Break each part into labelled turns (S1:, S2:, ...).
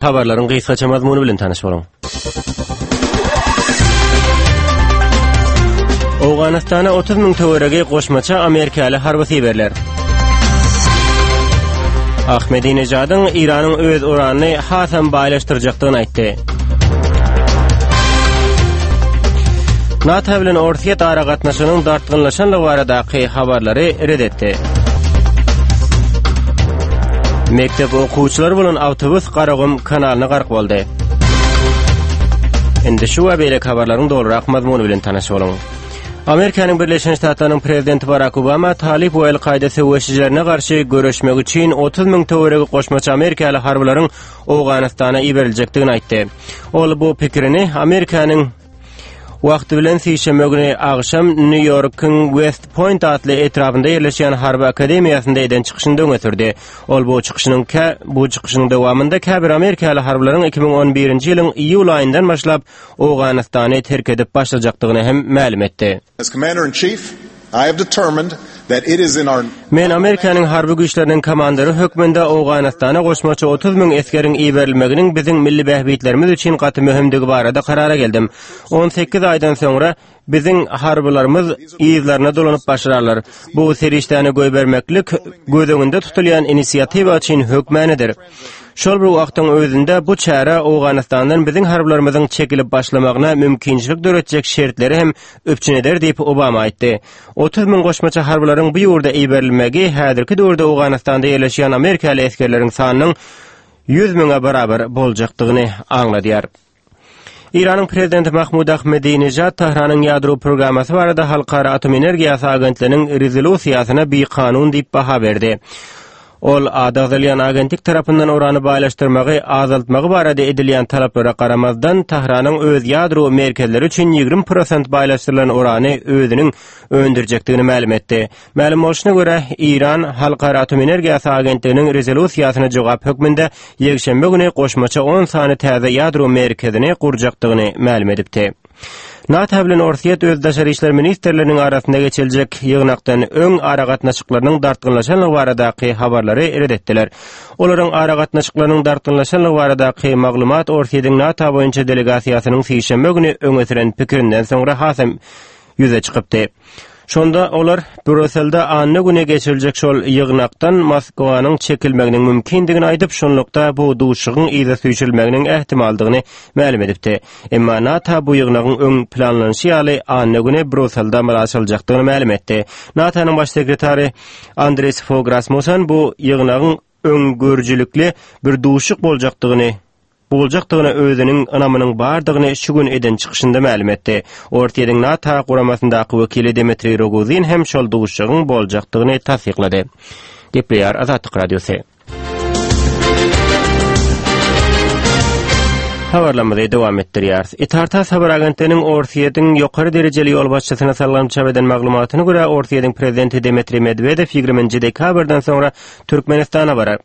S1: Habarlaryň gysgaça mazmuny bilen tanyş boluň. Owganystana 30 müň töweregi goşmaça amerikaly harby iberler. Ahmedinejadyň Eýranyň öz uranyny hasam baýlaşdyrjakdygyny aýtdy. NATO bilen Orsýet aragatnaşygynyň dartgynlaşanlygy baradaky habarlary ret etdi. Mekdep okuwçylary bolan awtobus Garagum kanalyna gark boldy. Indi şu we beýleki habarlaryň dolurak mazmuny bilen tanyş boluň. Amerikanyň Birleşen Ştatlarynyň prezidenti Barak Obama Talyp we El-Kaýda söweşijilerine garşy göreşmek üçin 30 müň töweregi goşmaça amerikaly harbylaryň Owganystana iberiljekdigini aýtdy. Ol bu pikirini Amerikanyň Wagty bilen sişenbe güni agşam Nýu-Ýorkuň West Point atly etrabynda ýerleşýän harby akademiýasynda eden çykyşynda öňe sürdi. Ol bu çykyşynyň kä bu çykyşynyň dowamynda käbir amerikaly harbylaryň 2011-nji ýylyň iýul aýyndan başlap Owganystany terk edip başlajakdygyny hem mälim etdi.
S2: As Commander-in-Chief, I have determined that it is in our.
S1: Men Amerikanyň harby güýçleriniň komandiri hökmünde Owganystana goşmaça 30 müň esgeriň iberilmeginiň biziň milli bähbitlerimiz üçin gaty möhümdigi barada karara geldim. 18 aýdan soňra biziň harbylarymyz yzlaryna dolanyp başlarlar. Bu serişdäni goýbermeklik göz öňünde tutulýan inisiatiwa üçin hökmanydyr. Şol bir wagtyň özünde bu çäre Owganystandan biziň harbylarymyzyň çekilip başlamagyna mümkinçilik döretjek şertleri hem üpjün eder diýip, Obama aýtdy. 30 müň goşmaça harbylaryň bu ýurda iberilmegi häzirki döwürde Owganystanda ýerleşýän amerikaly esgerleriň sanynyň 100 müňe barabar boljakdygyny aňladýar. Eýranyň prezidenti Mahmud Ahmedinejad Tähranyň ýadro programmasy barada Halkara atom energiýasy agentliginiň rezolýusiýasyna bikanun diýip baha berdi. Ol ady agzalýan agentlik tarapyndan urany baýlaşdyrmagy azaltmagy barada edilýän talaplara garamazdan, Tähranyň öz ýadro merkezleri üçin 20 prosent baýlaşdyrylan urany özüniň öndürjekdigini mälim etdi. Mälim bolşuna görä, Eýran Halkara atom energiýasy agentliginiň rezolýusiýasyna jogap hökmünde ýekşenbe güni goşmaça on sany täze ýadro merkezini gurjakdygyny mälim edipdi. NATO bilen Orsýet öz daşary işler ministrleriniň arasynda geçiriljek ýygnakdan öň aragatnaşyklarynyň dartgynlaşanlygy baradaky habarlary ret etdiler. Olaryň aragatnaşyklarynyň dartgynlaşanlygy baradaky maglumat Orsýetiň NATO boýunça delegasiýasynyň sişenbe güni öňe süren pikirinden soňra hasam ýüze çykypdy. Şonda olar Brýusselde anna güni geçiriljek şol ýygnakdan Moskwanyň çekilmeginiň mümkindigini aýdyp, şunlukda bu duşuşygyň yza süýşürilmeginiň ähtimaldygyny mälim edipdi. Emma NATO bu ýygnagyň öň planlanyşy ýaly anna güni Brýusselde amala aşyryljakdygyny mälim etdi. NATO-nyň baş sekretary Andres Fog Rasmussen bu ýygnagyň öňgörüjilikli bir duşuşyk boljakdygyny boljakdygyna özüniň ynamynyň bardygyny şu gün eden çykyşynda mälim etdi. Orsýetiň NATO guramasyndaky wekili Dmitriý Rogozin hem şol duşuşygyň boljakdygyny tassyklady. Gepleýär Azatlyk Radiosy. Habarlarymyzy dowam etdirýäris. Itartas habar agentliginiň Orsýetiň ýokary derejeli ýolbaşçysyna salgylanyp çap eden maglumatyna görä, Orsýetiň prezidenti Dmitriý Medwedew 20-nji dekabrdan soňra Türkmenistana barar.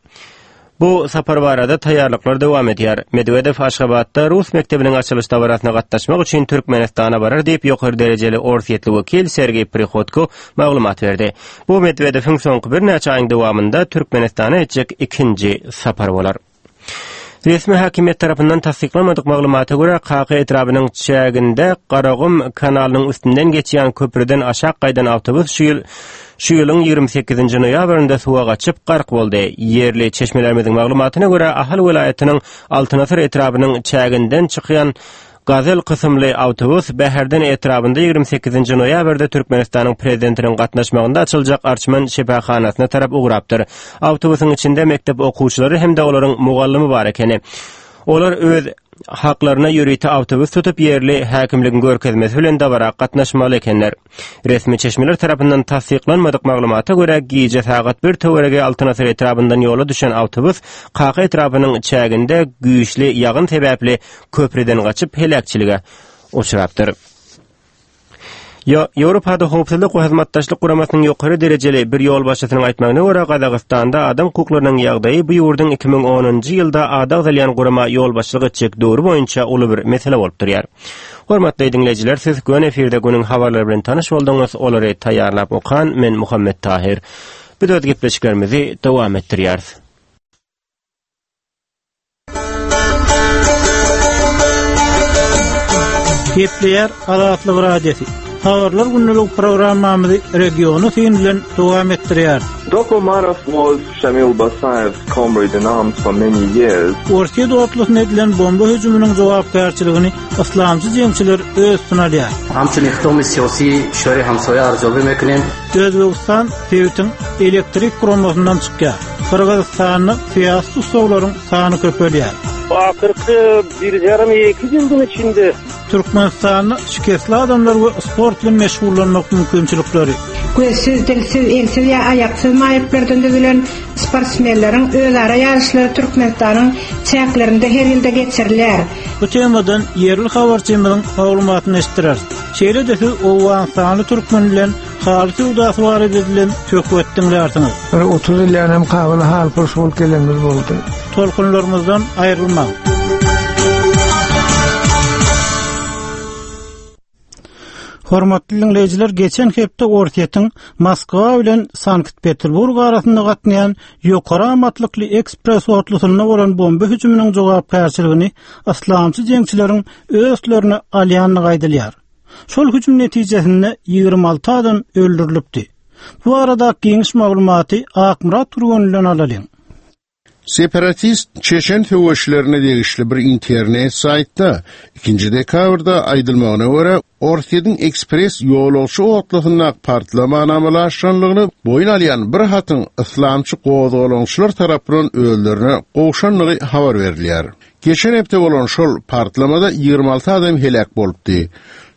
S1: Bu sapar barada taýýarlyklar dowam edýär. Medwedew Aşgabatda rus mekdebiniň açylyş dabarasyna gatnaşmak üçin Türkmenistana barar diýip, ýokary derejeli orsýetli wekil Sergeý Prihodko maglumat berdi. Bu Medwedewiň soňky birnäçe aýyň dowamynda Türkmenistana etjek ikinji sapary bolar. Resmi häkimiýet tarapyndan tassyklanmadyk maglumata görä, Kaka etrabynyň çäginde Garagum kanalynyň üstünden geçýän köprüden aşak gaýdan awtobus şu ýyl Şu ýylyň 28-nji noýabrynda suwa gaçyp, gark boldy. Ýerli çeşmelerimiziň maglumatyna görä, Ahal welaýatynyň Altyn asyr etrabynyň çäginden çykýan Gazel kysymly awtobus Bäherden etrabynda 28-nji noýabrda Türkmenistanyň Prezidentiniň gatnaşmagynda açyljak Arçman şypahanasyna tarap ugrapdyr. Awtobusyň içinde mekdep okuwçylary hem-de olaryň mugallymy bar ekeni. Olar öz haklaryna ýörite awtobus tutup, ýerli häkimligiň görkezmesi bilen dabara gatnaşmaly ekenler. Resmi çeşmeler tarapyndan tassyklanmadyk maglumata görä, gije sagat bir töweregi Altyn asyr etrabyndan ýola düşen awtobus Kaka etrapynyň çäginde güýçli ýagyn sebäpli köprüden gaçyp heläkçilige uçrapdyr. Ýewropada Howpsuzlyk we Hyzmatdaşlyk Guramasynyň ýokary derejeli bir ýolbaşçysynyň aýtmagyna görä, Gazagystanda adam hukuklarynyň ýagdaýy bu ýurduň 2010-njy ýylda ady agzalýan gurama ýolbaşçylyk etjek döwri boýunça uly bir mesele bolup durýar. Hormatly diňleýjiler, siz göni efirde günüň habarlary bilen tanyş bolduňyz, olary taýýarlap okan men Muhammet Tahyr. Biz öz gepleşiklerimizi dowam etdirýäris.
S3: Gepleýär Azatlyk Radiosy. Habarlar gündelik programmamyzy regiona syn bilen dowam etdirýäris.
S4: Doku Umarow was Şamil Basaýew's comrade in arms for many years.
S3: Orsýet otlusyna edilen bomba hüjüminiň jogapkärçiligini yslamçy jeňçiler öz üstüne alýar. Özbegistan sebitiň elektrik guramasyndan çykýar. Gyrgyzystanda syýasy tussaglaryň sany köpelýär.
S5: Ahyrky bir ýarym iki ýyldyň içinde.
S3: Türkmenistanda şikesli adamlar we sport bilen meşgullanmak mümkinçilikleri.
S6: Gözsüz, dilsiz, elsiz ýa aýaksyz maýyplardan düzülen sportsmenleriň özara ýaryşlary Türkmenistanyň çäklerinde her ýylda geçirilýär.
S3: Bu temadan ýerli habarçymyzyň maglumatyny eşitdireris. Şeýle-de siz owganystanly türkmen bilen haly söwdasy barada edilen söhbet diňlärsiňiz.
S7: Bir 30 ýyl ýanam Kabula halypurş bolup gelenimiz boldy.
S3: Tolkunlarymyzdan aýrylmaň. Hormatly diňleýjiler, geçen hepde Orsýetiň Moskwa bilen Sankt-Peterburg arasynda gatnaýan ýokary amatlykly ekspress otlusynda bolan bomba hüjüminiň jogapkärçiligini yslamçy jeňçileriň öz üstlerine alýandygy aýdylýar. Şol hüjüm netijesinde 26 adam öldürilipdi. Bu barada giňiş maglumaty Akmyrat Türgenlinden alalyň.
S8: Separatist çeçen söweşlerine degişli bir internet saýtda ikinji dekabrda aýdylmagyna görä, Orsýetiň ekspress ýolagçy otlusyndaky partlamany amala aşyranlygyny boýun alýan bir hatyň yslamçy gozgalaňçylar tarapyndan özlerine gowşandygy habar berilýär. Geçen hepde bolan şol partlamada 26 adam heläk bolupdy.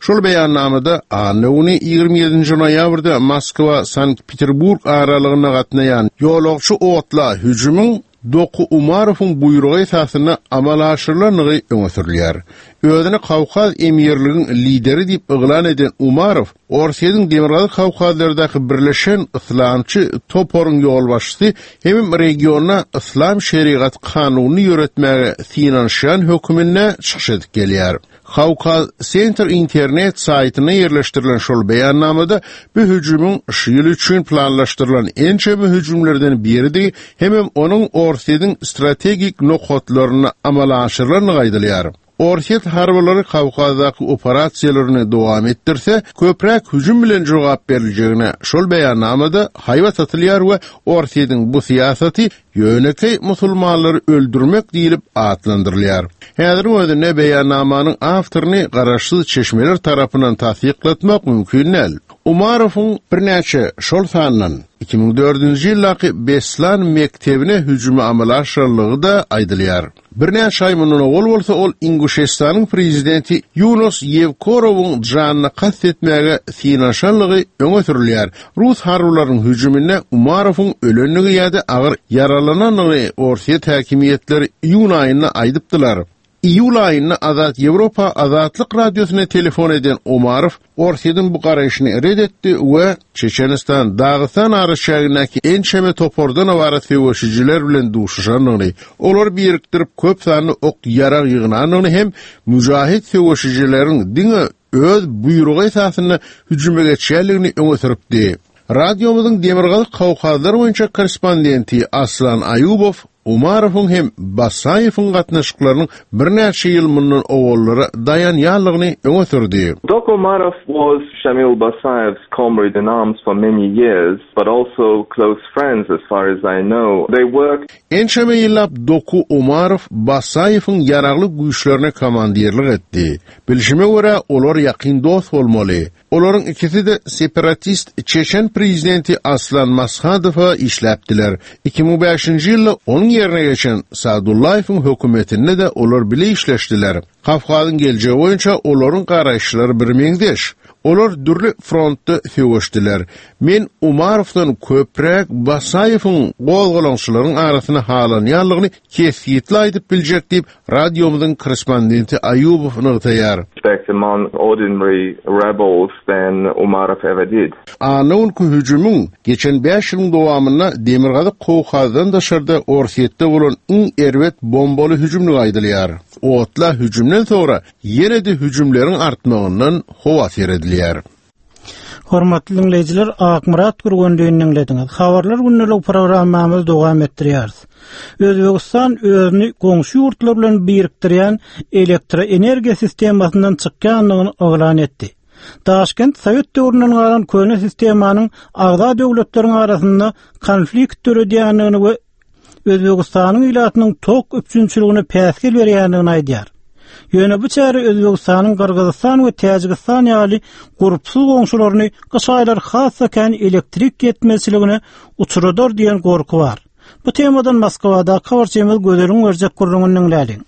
S8: Şol beýannamada anna güni 27-nji noýabrda Moskwa-Sankt-Peterburg aralygynda gatnaýan ýolagçy otla hüjümiň Doku Umarowyň buýrugy esasynda amala aşyrylandygy öňe sürülýär. Özüni Kawkaz emirligiň lideri diýip yglan eden Umarow Orsýetiň Demirgazyk Kawkazlardaky birleşen yslamçy toparyň ýolbaşçysy hemem regionda yslam şerigat kanunyny ýöretmäge synanyşýan höküminde çykyş edip gelýär. Kawkaz Center internet saýtynda ýerleşdirilen şol beýannamada bu hüjümiň şu ýyl üçin planlaşdyrylan ençeme hüjümlerden biridigi hemem onuň Orsýetiň strategik nokatlarynda amala aşyrylandygy aýdylýar. Orsýet harbylary Kawkazdaky operasiýalaryny dowam etdirse, köpräk hüjüm bilen jogap beriljegine şol beýannamada haýbat atylýar we Orsýetiň bu syýasaty ýönekeý musulmanlary öldürmek diýlip atlandyrylýar. Häziriň özünde beýannamanyň awtoryny garaşsyz çeşmeler tarapyndan tassyklatmak mümkin däl. Umarowyň birnäçe, şol sandan, 2004-nji ýyldaky Beslan mekdebine hüjümi amala aşyranlygy-da aýdylýar. Birnäçe aý mundan owal bolsa ol Inguşestanyň prezidenti Ýunus Ýewkorowyň janyna kast etmäge synanyşanlygy öňe sürülýär. Rus harbylarynyň hüjüminde Umarowyň ölendigi ýa-da agyr ýaralanandygyny orsýet häkimiýetleri iýun aýynda aýdypdylar. Iýul aýynda Azat Ýewropa Azatlyk Radiosyna telefon eden Umarow Orsýetiň bu garaýşyny ret etdi we Çeçenistan, Dagystan araçägindäki ençeme topardan ybarat söweşijiler bilen duşuşandygyny, olary birikdirip köp sanly ok-ýarag ýygnandygyny hem müjahit söweşijileriň diňe öz buýrugy esasynda hüjüme geçýändigini öňe sürüpdi. Radiomyzyň Demirgazyk Kawkazlar boýunça korrespondenti Aslan Aýubow Umarowyň hem Basaýewiň gatnaşyklarynyň birnäçe ýyl mundan owallara daýanýanlygyny öňe sürdi.
S4: Doku Umarow was Shamil Basaýew's comrade in arms for many years, but also close friends as far as I know. They worked.
S8: Ençeme ýyllap Doku Umarow Basaýewiň ýaragly güýçlerine komandirlik etdi. Bilşime görä, olar ýakyn dost bolmaly. Olaryň ikisi-de separatist çeçen prezidenti Aslan Mashadowa işläpdiler. 2005-nji ýylda onuň ýerine geçen Sadullaýewiň hökümetinde-de olar bile işleşdiler. Kawkazyň geljegi boýunça olaryň garaýyşlary birmeňzeş. Olar dürli frontda söweşdiler. Men Umarowdan köpräk Basaýewiň gozgalaňçylaryň arasynda halanýanlygyny kesgitli aýdyp biljek diýip, Radiomyzyň korrespondenti Aýubow nygtaýar.
S4: Respect among ordinary rebels than Umarow ever did.
S8: Anna günki hüjümiň geçen bäş ýylyň dowamynda Demirgazyk Kawkazdan daşarda Orsýetde bolan iň erbet bombaly hüjümdigi aýdylýar. Otla hüjümden soňra ýene-de hüjümleriň artmagyndan howatyr edilýär.
S3: Hormatly diňleýjiler, Akmyrat Gürgenlini diňlediňiz. Habarlar gündelik programmamyzy dowam etdirýäris. Özbegistan özüni goňşy ýurtlar bilen birikdirýän elektroenergiýa sistemasyndan çykýandygyny yglan etdi. Daşkent sowet döwründen galan köne sistemanyň agza döwletleriň arasynda konflikt döredýändigini we Özbegistanyň ilatynyň tok üpjünçiligine päsgel berýändigini aýdýar. Ýöne bu çäre Özbegistanyň Gyrgyzystan we Täjigistan ýaly gurpsuz goňşularyny gyş aýlary has-da kän elektrik ýetmezçiligine uçradar diýen gorky bar. Bu temadan Moskwadaky habarçymyz Gözeliň berjek gürrüňini diňläliň.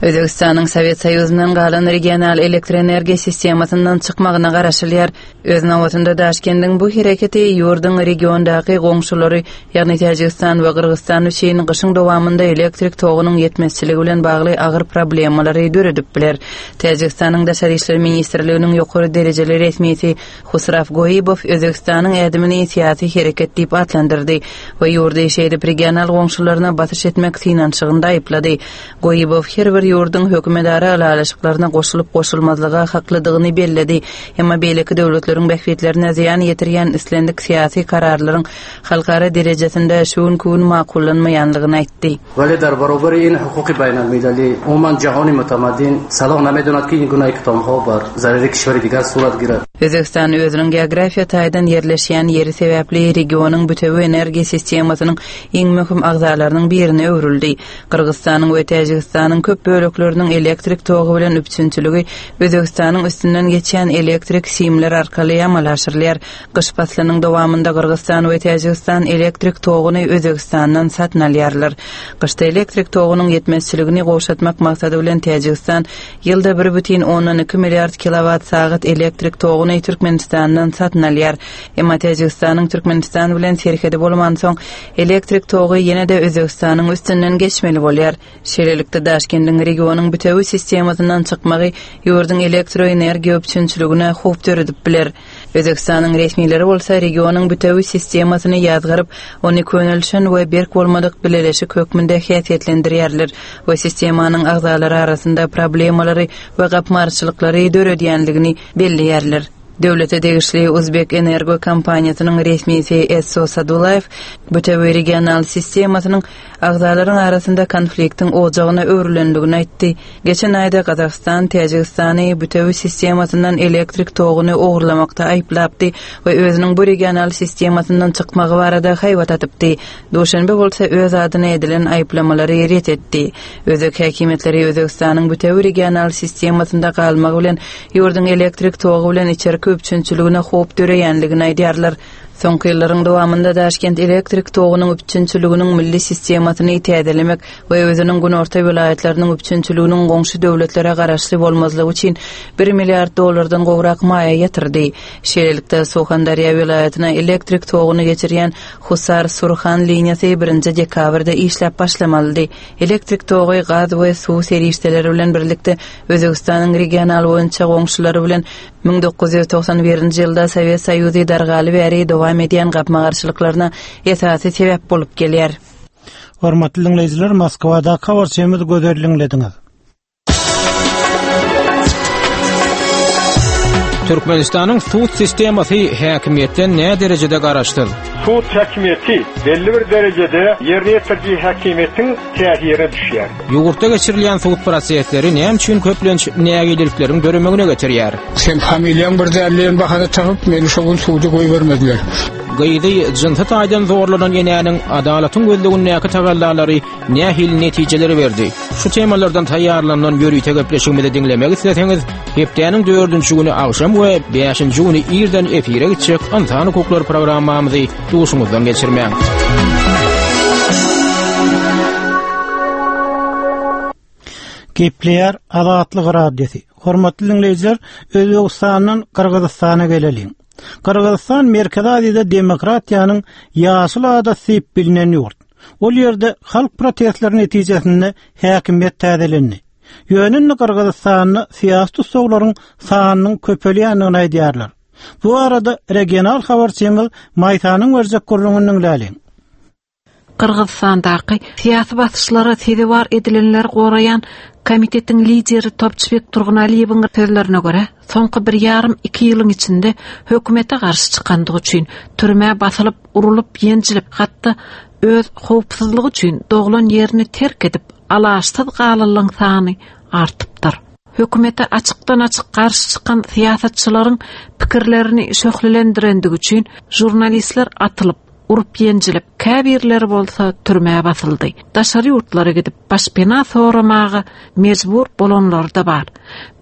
S9: Özbegistanyň Sowet Soýuzyndan galan regional elektroenergiýa sistemasyndan çykmagyna garaşylýar. Öz nobatynda Daşkendiň bu hereketi ýurduň regiondaky goňşulary, ýagny Täjigistan we Gyrgyzystan üçin gyşyň dowamynda elektrik togunyň ýetmezçiligi bilen bagly agyr problemalary döredip biler. Täjigistanyň Daşary işler ministrliginiň ýokary derejeli resmisi Husraf Goibow Özbegistanyň ädimini syýasy hereket diýip atlandyrdy we ýurdy şeýdip regional goňşularyna basyş etmek synanyşygynda aýyplady. Goibow her bir ýurduň hökümetara ylalaşyklaryna goşulyp-goşulmazlyga haklydygyny belledi, emma beýleki döwletleriň bähbitlerine zyýan ýetirýän islendik syýasy kararlaryň halkara derejesinde şu günki gün makullanmaýanlygyny aýtdy.
S10: Weli dar barobari in hukuki baýnalmilali umuman jahoni mutamaddin saloh namedonad ki in guna iqdomho bar zarari kişweri digar surat girad.
S9: Özbegistan özüniň geografiýa taýdan ýerleşýän ýeri sebäpli regionyň bütewi energiýa sistemasynyň iň möhüm agzalarynyň birine öwrüldi. Gyrgyzystanyň we Täjigistanyň köp bölekleriniň elektrik togy bilen üpjünçiligi Özbegistanyň üstünden geçýän elektrik simler arkaly amala aşyrylýar. Gyş paslynyň dowamynda Gyrgyzystan we Täjigistan elektrik toguny Özbegistandan satyn alýarlar. Gyşda elektrik togunyň ýetmezçiligini gowşatmak maksady bilen Täjigistan ýylda 1,2 milliard kilowat-sagat elektrik toguny Türkmenistandan satyn alýar. Emma Täjigistanyň Türkmenistan bilen serhedi bolmansoň, elektrik togy ýene-de Özbegistanyň üstünden geçmeli bolýar. Şeýlelikde, Daşkendiň regionyň bitewi sistemasyndan çykmagy ýurduň elektroenergiýa üpjünçiligine howp döredip biler. Özbegistanyň resmileri bolsa regionyň bitewi sistemasyny ýazgaryp, ony könelişen we berk bolmadyk bileleşik hökmünde häsiýetlendirýärler we sistemanyň agzalary arasynda problemalary we gapma-garşylyklary döredýänligini belleýärler. Döwlete degişli Uzbekenergo kompaniýasynyň resmisi Esso Sadulaýew bitewi regional sistemasynyň agzalaryň arasynda konfliktiň ojagyna öwrülendigini aýtdy. Geçen aýda Gazagystan Täjigistany bütewi sistemasyndan elektrik toguny ogurlamakda aýyplapdy we özüniň bu regional sistemasyndan çykmagy barada haýbat atypdy. Duşenbe bolsa öz adyna edilen aýyplamalary ret etdi. Özbek häkimiýetleri Özbegistanyň bütewi regional sistemasynda galmagy bilen ýurduň elektrik togy bilen içerki üpjünçiligine howp döreýänligini aýdýarlar. Soňky ýyllaryň dowamynda Daşkent elektrik togunyň üpjünçiliginiň milli sistemasyny täzelemek we özüniň günorta welaýatlarynyň üpjünçiliginiň goňşy döwletlere garaşly bolmazlygy üçin bir milliard dollardan gowrak maýa ýatyrdy. Şeýlelikde, Suhandarýa welaýatyna elektrik toguny geçirýän Husar-Surhan liniýasy birinji dekabrda işläp başlamalydy. Elektrik togy gaz we suw serişdeleri bilen birlikde Özbegistanyň regional boýunça goňşulary bilen 1991-nji ýylda Sowet Soýuzy dargaly bäri dowam edýän gapma-garşylyklaryna esasy sebäp bolup gelýär.
S3: Hormatly diňleýjiler, Moskwadaky habarçymyz Gözel diňlediňiz.
S11: Türkmenistanyň sud sistemasy häkimiýetden näderejede garaşsyz?
S12: Sud häkimiýeti belli bir derejede ýerine ýetiriji häkimiýetiň täsirine düşýär.
S11: Ýurtda geçirilýän sud prosesleri näme üçin köplenç nägilelikleriň döremegine getirýär?
S7: Sen familiýaň bir däl diýen bahana tapyp, meni şo gün suda goýbermediler.
S11: Gyzy jynsy taýdan zorlanan enäniň adalatyň gözlegindäki tagallalary nähili netijeleri berdi? Şu temalardan taýýarlanylan ýörite gepleşigimizi diňlemek isleseňiz, hepdäniň dördünji güni agşam we bäşinji güni irden efire gitjek Ynsan hukuklary programmamyzy duşuňyzdan geçirmäň.
S3: Gepleýär Azatlyk Radiosy. Hormatly diňleýjiler, Özbegistandan Gyrgyzystana geleliň. Gyrgyzystan Merkezi Aziýada demokratiýanyň ýaşyl adasy diýip bilinen ýurt. Ol ýerde halk protestleri netijesinde häkimiýet täzelendi. Ýöne indi Gyrgyzystanda syýasy tussaglaryň sanynyň köpelýändigini aýdýarlar. Bu barada regional habarçymyz Maýsanyň berjek gürrüňini diňläliň.
S13: Gyrgyzystandaky syýasy basyşlara sezewar edilenleri goraýan komitetiň lideri Topçybek Turgunaliýewiň sözlerine görä, soňky bir ýarym-iki ýylyň içinde hökümete garşy çykandygy üçin türmä basylyp, urulyp, ýenjilip, hatda öz howpsuzlygy üçin doglan ýerini terk edip, alaçsyz galanlaryň sany artypdyr. Hökümete açykdan-açyk garşy çykan syýasatçylaryň pikirlerini şöhlelendirendigi üçin žurnalistler atylyp, urup-ýenjilip, käbirleri bolsa türmä basyldy. Daşary ýurtlara gidip, başpena soramaga mejbur bolanlary-da bar.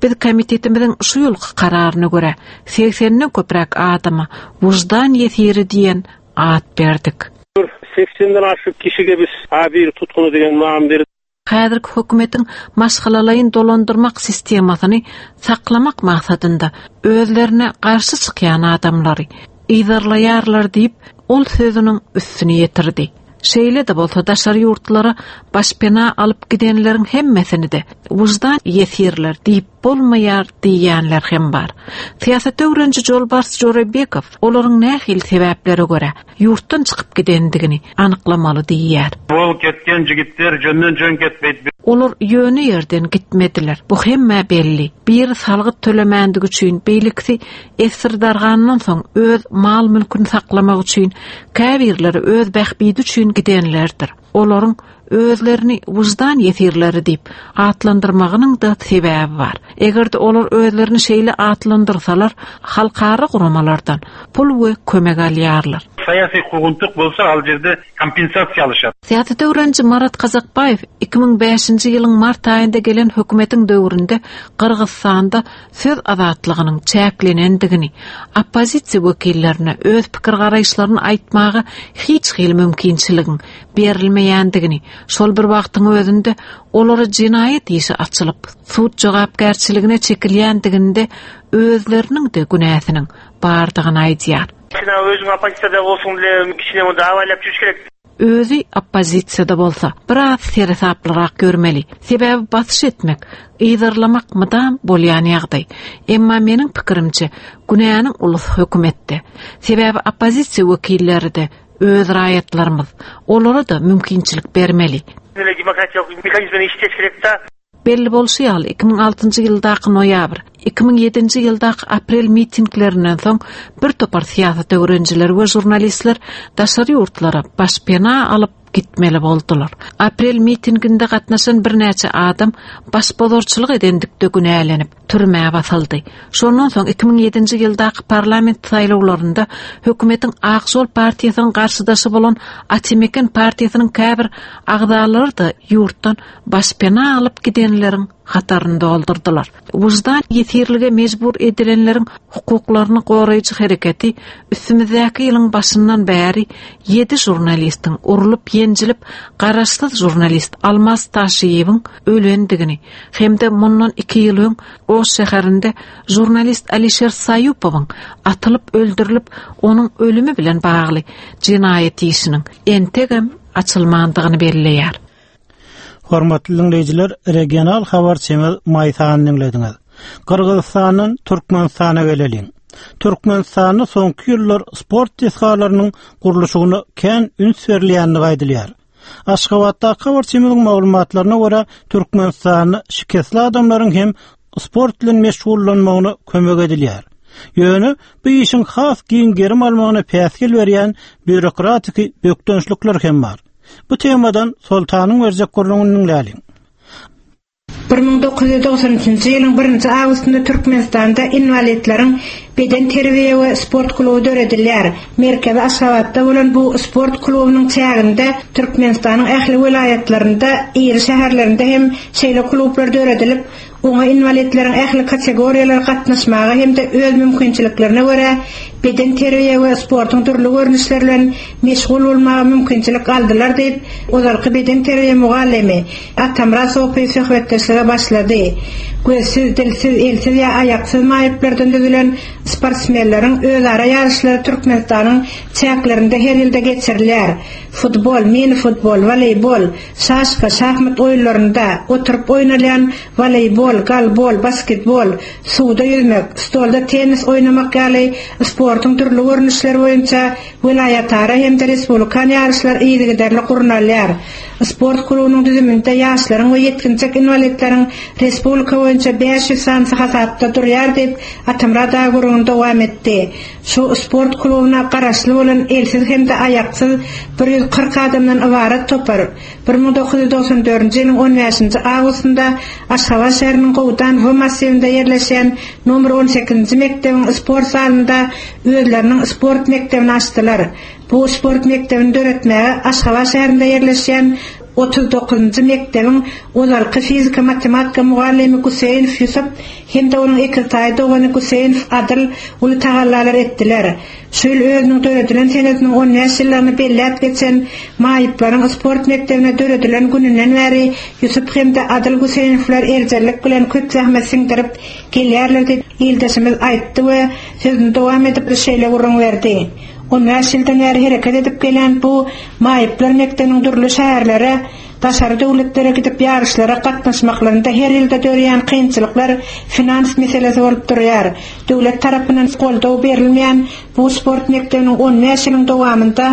S13: Biz komitetimiziň şu ýylky kararyna görä, segsenden köpräk adama wyždan ýesiri diýen at berdik.
S5: Bir segsenden aşyk kişige biz A bir tutguny diýen nam berdik.
S13: Häzirki hökümetiň maşgalalaýyn dolandyrmak sistemasyny saklamak maksadynda özlerine garşy çykýan adamlary yzarlaýarlar diýip, ol sözüniň üstüni ýetirdi. Şeýle-de bolsa daşary ýurtlara başpena alyp gidenleriň hemmesini-de wyždan ýesirler diýip bolmaýar diýýänler hem bar. Syýasat öwreniji Jolbars Jorabekow olaryň nähili sebäplere görä ýurtdan çykyp gidendigini anyklamaly diýýär.
S14: Bol ketgen jigitler jönden jön ketmeýdi.
S13: Olar ýöne ýerden gitmediler. Bu hemmä belli. Biri salgyt tölemändigi üçin, beýlekisi esir dargandan soň öz mal-mülküni saklamak üçin, käbirleri öz bähbidi üçin gidenlerdir. Olaryň özlerini wyždan ýesirleri diýip atlandyrmagynyň-da sebäbi bar. Eger-de olar özlerini şeýle atlandyrsalar, halkara guramalardan pul we kömek alýarlar.
S14: Syýasy kuwguntyk bolsa al ýerde kompensasiýa alyşar.
S13: Syýasat öwreniji Marat Kazakbaýew 2005-nji ýylyň mart aýynda gelen hökümetiň döwründe Gyrgyzystanda söz azatlygynyň çäklenendigini, oppozisiýa wekillerine öz pikir-garaýyşlaryny aýtmaga hiç hili mümkinçiligiň berilmeýändigini, şol bir wagtyň özünde olara jenaýat işi açylyp, sud jogapkärçiligine çekilýändiginde özleriniň-de günäsiniň bardygyny aýdýar.
S14: Kişine özüň oppozisiýada bolsuň bile kişine onda abaýlap jürüş gerek.
S13: Özi oppozisiýada bolsa, biraz seresaplyrak ýörmeli. Sebäbi basyş etmek, yzarlamak mydam bolýan ýagdaý. Emma meniň pikirimçe, günäniň ulusy hökümetde. Sebäbi oppozisiýa wekilleri-de öz raýatlarymyz. Olara-da mümkinçilik bermeli.
S14: Demokratiýalyk mehanizmini işleş gerek-da.
S13: Belli bolşy ýaly, 2006-njy ýyldaky noýabr, 2007-nji ýyldaky aprel mitinglerinden soň bir topar syýasat öwrenijiler we žurnalistler daşary ýurtlara başpena alyp gitmeli boldular. Aprel mitinginde gatnaşan birnäçe adam başbozarçylyk edendikde günälenip, türmä basyldy. Şondan soň 2007-nji ýyldaky parlament saýlawlarynda hökümetiň Ak žol partiýasynyň garşydaşy bolan Atameken partiýasynyň käbir agzalary-da ýurtdan başpena alyp gidenleriň hataryny doldurdylar. Wyždan ýesirlige mejbur edilenleriň hukuklaryny goraýjy hereketi üstümizdäki ýylyň başyndan bäri ýedi žurnalistiň urlup-ýenjilip, garaşsyz žurnalist Almaz Taşiýewiň ölendigini hem-de mundan iki ýyl öň Oş şäherinde žurnalist Alişer Saýupowyň atylyp öldürilip, onuň ölümi bilen bagly jenaýat işiniň entegem açylmandygyny belleýär.
S3: Hormatly diňleýjiler, regional habarçymyz Maýsany diňlediňiz. Gyrgyzystandan Türkmenistana geleliň. Türkmenistanda soňky ýyllar sport desgalarynyň gurluşygyna kän üns berilýändigi aýdylýar. Aşgabatdaky habarçymyzyň maglumatlaryna görä, Türkmenistanda şikesli adamlaryň hem sport bilen meşgullanmagyna kömek edilýär. Ýöne bu işiň has giň gerim almagyna päsgel berýän býurokratiki bökdençlikler hem bar. Bu temadan Soltanyň berjek gürrüňini diňläliň.
S6: 1993-nji ýylyň birinji awgustynda Türkmenistanda inwalidleriň bedenterbiýe we sport kluby döredilýär. Merkezi Aşgabatda bolan bu sport klubunyň çäginde Türkmenistanyň ähli welaýatlarynda, iri şäherlerinde hem şeýle klublar döredilip, Oňa inwalidleriň ähli kategoriýalary gatnaşmaga hem-de öz mümkinçiliklerine görä bedenterbiýe we sportuň dürli görnüşleri bilen meşgul bolmaga mümkinçilik aldylar diýip, ozalky bedenterbiýe mugallymy Atamyrat Sopyýew söhbetdeşlige başlady. Gözsüz, dilsiz, elsiz ýa aýaksyz maýyplardan düzülen. sportsmenleriň özara ýaryşlary Türkmenistanyň çäklerinde her ýylda geçirilýär. Futbol, mini-futbol, woleýbol, şaşka, şahmat oýunlarynda, oturyp oýnalýan woleýbol, golbol, basketbol, suwda ýüzmek, stolda tennis oýnamak ýaly sportuň dürli görnüşleri boýunça welaýatara hem-de respublikan ýaryşlar yzygiderli gurnalýar. Sport klubunyň düzüminde ýaşlaryň we ýetginjek inwalidleriň respublika boýunça 500 sanysy hasapda durýar diýip, Atamyrat aga gürrüňini dowam etdi. Şu sport klubuna garaşly bolan elsiz hem-de aýaksyz 140 adamdan ybarat topar 1994-nji ýylyň on bäşinji awgustynda Aşgabat şäheriniň Gowdan W massiwinde ýerleşýän nomer on sekizinji mekdebiň sport zalynda özleriniň sport mekdebini açdylar. Bu sport mekdebini döretmäge Aşgabat şäherinde ýerleşýän 39-njy mekdebiň ozalky fizika-matematika mugallymy Guseýnow Ýusup hem-de onuň ekiztaýy dogany Guseýnow Adyl uly tagallalar etdiler. Şu ýyl özüniň döredilen senesiniň on bäş ýyllygyny belläp geçen maýyplaryň sport mekdebine döredilen gününden bäri Ýusup hem-de Adyl Guseýnowlar erjellik bilen köp zähmet siňdirip gelýärler diýip, ildeşimiz aýtdy we sözüni dowam edip şeýle gürrüň berdi. On bäş ýyldan bäri hereket edip gelýän bu maýyplar mekdebiniň dürli şäherlere, daşary döwletlere gidip ýaryşlara gatnaşmaklarynda her ýylda döreýän kynçylyklar finans meselesi bolup durýar. Döwlet tarapyndan goldaw berilmeýän bu sport mekdebiniň on bäş ýylyň dowamynda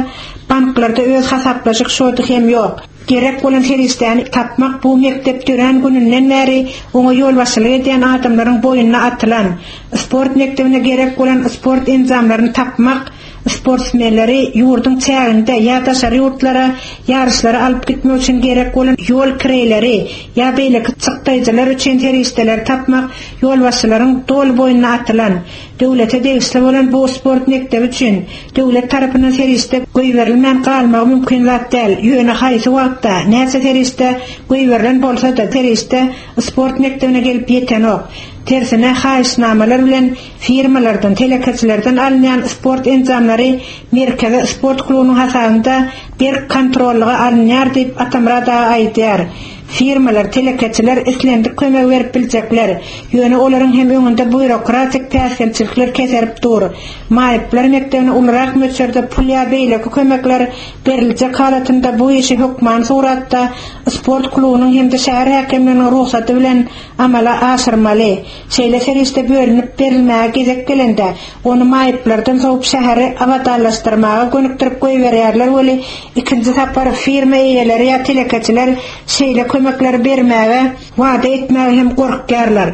S6: banklarda öz hasaplaşyk şody hem ýok. Gerek bolan serişdäni tapmak bu mekdep dörän gününden bäri oňa ýolbaşçylyk edýän adamlaryň boýnuna atylan. Sport mekdebine gerek bolan sport enjamlaryny tapmak, sportsmenleri ýurduň çäginde ýa daşary ýurtlara ýaryşlara alyp gitmek üçin gerek bolan ýol kireýleri ýa beýleki çykdaýjylar üçin serişdeleri tapmak ýolbaşçylaryň doly boýnuna atylan. Döwlete degişli bolan bu sport mekdebi üçin döwlet tarapyndan serişde goýberilmän galmagy mümkin zat däl, ýöne haýsy wagtda, näçe serişde goýberilen bolsa-da, serişde sport mekdebine gelip ýetenok. Tersine, haýyşnamalar bilen firmalardan, telekeçilerden alynýan sport enjamlary merkezi sport klubunyň hasabynda berk kontrollyga alynýar diýip, Atamyrat aga aýdýar. Firmalar, telekeçiler islendik kömegi berip biljekler, ýöne olaryň hem öňünde býurokratik päsgelçilikler keserip dur. Maýyplar mekdebine ulurak möçberde pul ýa beýleki kömekler beriljek halatynda bu işi hökmany suratda sport klubunyň hem-de şäher häkimliginiň rugsaty bilen amala aşyrmaly. Şeýle serişde bölünip berilmäge gezek gelende, ony maýyplardan sowup şäheri abadanlaşdyrmaga gönükdirip goýberýärler weli, ikinji sapar firma eýeleri ýa telekeçiler şeýle kömekleri bermäge, wada etmäge hem gorkýarlar.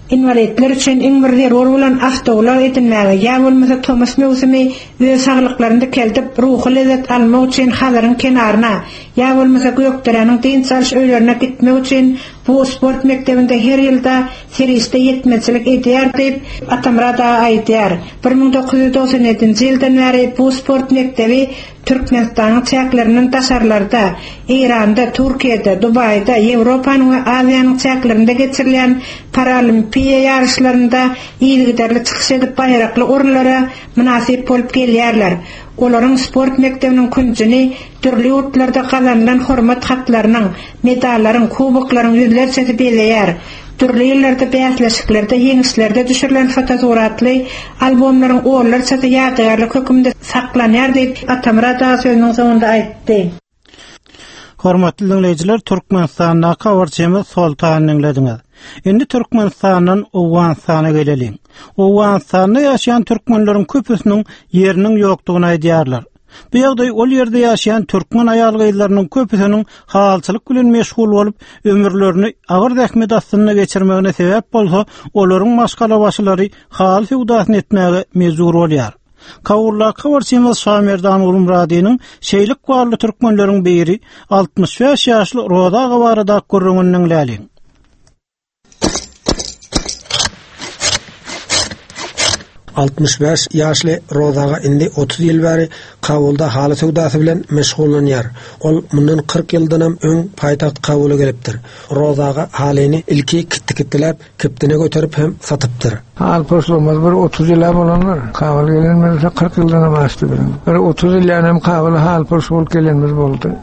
S6: Inwalidler üçin iň bir zerur bolan awtoulag edinmäge ýa bolmasa tomus möwsümi öz saglyklaryny dikeldip, ruhy lezzet almak üçin Hazaryň kenaryna, ýa bolmasa Gökderäniň dynç alyş öýlerine gitmek üçin Bu sport mekdebinde her ýylda serişde ýetmezçilik edýär diýip, Atamyrat aga aýdýar. 1997-nji ýyldan bäri bu sport mekdebi Türkmenistanyň çäklerinden daşarlarda, Eýranda, Türkiýede, Dubaýda, Ýewropanyň we Aziýanyň çäklerinde geçirilýän paralimpiýa ýaryşlarynda yzygiderli çykyş edip baýrakly orunlara mynasyp bolup gelýärler. Olaryň sport mekdebiniň künjüni dürli ýurtlarda gazanylan hormat hatlarynyň, medallaryň, kuboklaryň ýüzlerçesi bezeýär. Dürli ýyllarda bäsleşiklerde ýeňişlerde düşürilen fotosuratly albomlaryň onlarçasy ýadygärlik hökmünde saklanýar diýip, Atamyrat aga sözüniň soňunda aýtdy.
S3: Hormatly diňleýjiler, Türkmenistandaky habarçymyz Soltany diňlediňiz. Indi Türkmenistandan Owganystana geleliň. Owganystanda ýaşaýan türkmenleriň köpüsiniň ýeriniň ýokdugyny aýdýarlar. Bu ýagdaý ol ýerde ýaşaýan türkmen aýal-gyzlarynyň köpüsiniň halyçylyk bilen meşgul bolup, ömürlerini agyr zähmet astynda geçirmegine sebäp bolsa, olaryň maşgalabaşylary haly söwdasyny etmäge mejbur bolýar. Kabuldaky habarçymyz Şamerdan Gulmyradynyň şeýle ykbally türkmenleriň biri 65 ýaşly Roza aga baradaky gürrüňini diňläliň.
S7: 65 ýaşly Roza aga indi 30 ýyl bäri Kabulda haly söwdasy bilen meşgullanýar. Ol mundan 40 ýyldanam öň paýtagt Kabula gelipdir. Roza aga halyny ilki kitdi-kitdiläp, kibtine göterip hem satypdyr.
S15: Haly poslumyz bir 30 ýyl-a bolandyr. Kabula gelenimiz 40 ýyldanam aşdy biziň. Bir 30 ýyl ýanam Kabula haly poş bolup gelenimiz boldy.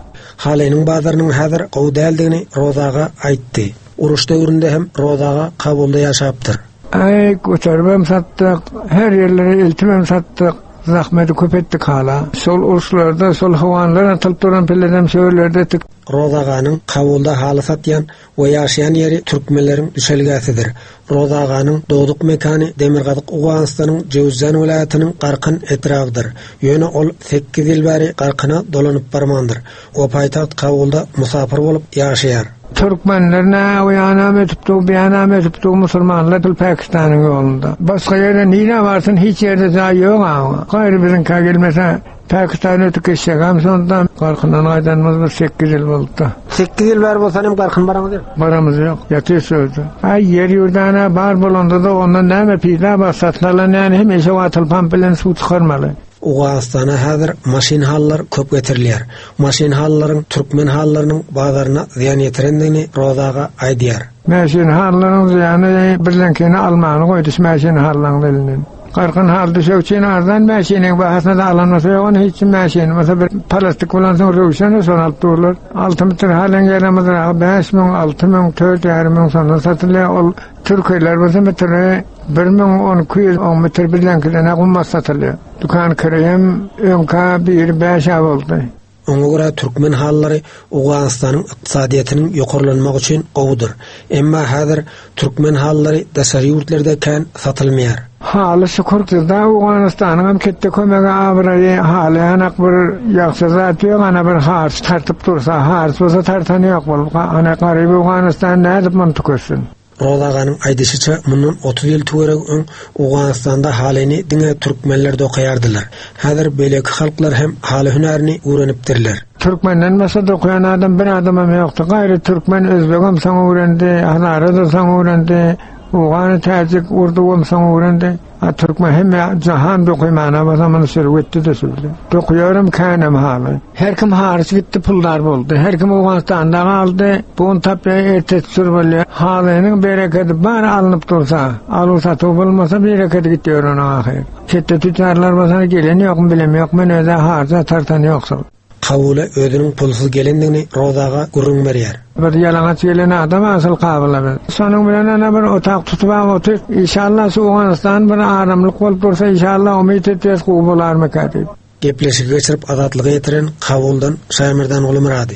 S7: Halynyň bazarynyň häzir gowy däldigini Roza aga aýtdy. Uruş döwründe hem Roza aga Kabulda ýaşapdyr.
S15: Aý, göteribem satdyk, her ýerlere eltibem satdyk. Zahmeti köp etdik hala. Şol uruşlarda şol hawanlar atylyp duran pilledem şo ýerlerde etdik.
S7: Roza aganyň Kabulda haly satýan we ýaşaýan ýeri türkmenleriň düşelgesidir. Roza aganyň dogduk mekany demirgazyk Owganystanyň Jöwüzjan welaýatynyň Garkyn etrabydyr. Ýöne ol sekiz ýyl bäri Garkyna dolanyp barmandyr we paýtagt Kabulda musapyr bolup ýaşaýar.
S15: Türkmenler nä o ýanam ötüp dur, bu ýanam ötüp dur, musulmanlar pul Pakistanyň ýolunda. Başga ýere nirä barsyn, hiç ýerde jaý ýok a. Gaýry biziňkä gelmese, Pakistana ötüp geçjegem şonda. Garkyndan gaýdanymyz bir sekiz ýyl boldy-da.
S7: Sekiz ýyl bäri bolsa hem Garkyn baraňyz ýok?
S15: Baramyz ýok, ýatyrys öýde. Aý, ýer-ýurdana bar bolanda-da ondan näme peýda bar, satyn alan ýaly hemişe watal pamp bilen suw çykarmaly.
S7: Owganystana häzir maşyn halylar köp getirilýär. Maşyn halylaryň türkmen halylarynyň bazaryna zyýan ýetirendigini Roza aga aýdýar.
S15: Mäşin halylaryň zyýany birleňkini almany goýdy şu mäşin halylaryň elinden. Garkyn haly düşek üçin arzan mäşiniň bahasyna-da alan bolsa ýok ony hiç kim mäşini bolsa bir palastik bolansoň röwşen şony alyp durlar. Alty metr halyň ýeramyzragy 5000, 6000, 4500 şondan satylýar. Ol türkiler bolsa metri 1000, 1200, on metr birleňkiden-ä gymmat satylýar. Dükan kireýem öňkä biri bäş-ä boldy.
S7: Oňa görä türkmen halylary Owganystanyň ykdysadyýetiniň ýokarlanmagy üçin gowudyr. Emma häzir türkmen halylary daşary ýurtlarda kän satylmaýar.
S15: Haly şükür bizde Owganystanyňam ketde kömegi abraýy haly ýanak bir ýagşy zat ýok ana bir harç tartyp dursa harç bolsa tartany ýok bolup ana garyp Owganystan nädip muny tüketsin.
S7: Roza aganyň aýdyşyça, mundan 30 ýyl töweregi öň Owganystanda halyny diňe türkmenler dokaýardylar. Häzir beýleki halklar hem haly hünärini öwrenipdirler.
S15: Türkmenden başga dokaýan adam bir adamam ýokdy. Gaýry türkmen, özbegem soň öwrendi, hazara-da soň öwrendi, owgany, täjik, urduwam soň öwrendi. A türkmen hemme jahan dokumana bolsa muny sürüp gitdi-de sürdi. Dokuýaram känem haly. Her kim haryç gitdi puldar boldy. Her kim Owganystanda galdy. Bu gün tapýar ertesi sür bolýar. Halynyň berekedi bar alnyp dursa, aluw-satuw bolmasa berekedi gitýär onuň ahyry. Çetde tüçjarlar bolsa gelen ýokmy bilem ýok men özä haryja tartan ýok şol.
S7: Kabula özüniň pulsuz gelendigini Roza aga gürrüň berýär.
S15: Bir ýalaňaç gelen adam asyl Kabula biz. Şonuň bilen ana bir otag tutubam otyr. Işalla şu Owganystan bir aramlyk bolup dursa işalla umyt etýäs gowy bolarmyka diýip.
S7: Gepleşigi geçirip Azatlyga ýetiren Kabuldan Şaýmerdan Gulumyrady.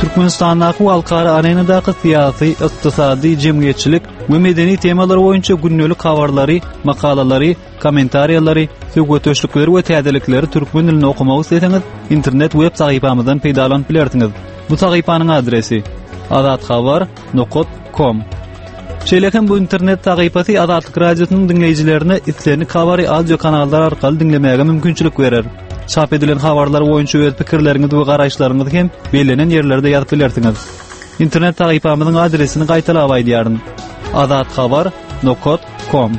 S16: Türkmenistandaky we halkara arenadaky syýasy, ykdysady, jemgyýetçilik we medeni temalar boýunça gündelik habarlary, makalalary, kommentariýalary, söhbetdeşlikleri we täzelikleri türkmen dilinde okamak isleseňiz, internet web sahypamyzdan peýdalanyp bilersiňiz. Bu sahypanyň adresi: azathabar.com Şeýle hem bu internet sahypasy Azatlyk Radiosynyň diňleýjilerine islendik habary audio kanallar arkaly diňlemäge mümkinçilik berer. Çap edilen habarlar boýunça öz pikirleriňizi we garaýyşlaryňyzy hem bellenen ýerlerde ýazyp bilersiňiz. Internet sahypamyzyň adresini gaýtalap aýdýaryn. Azathabar nokat kom.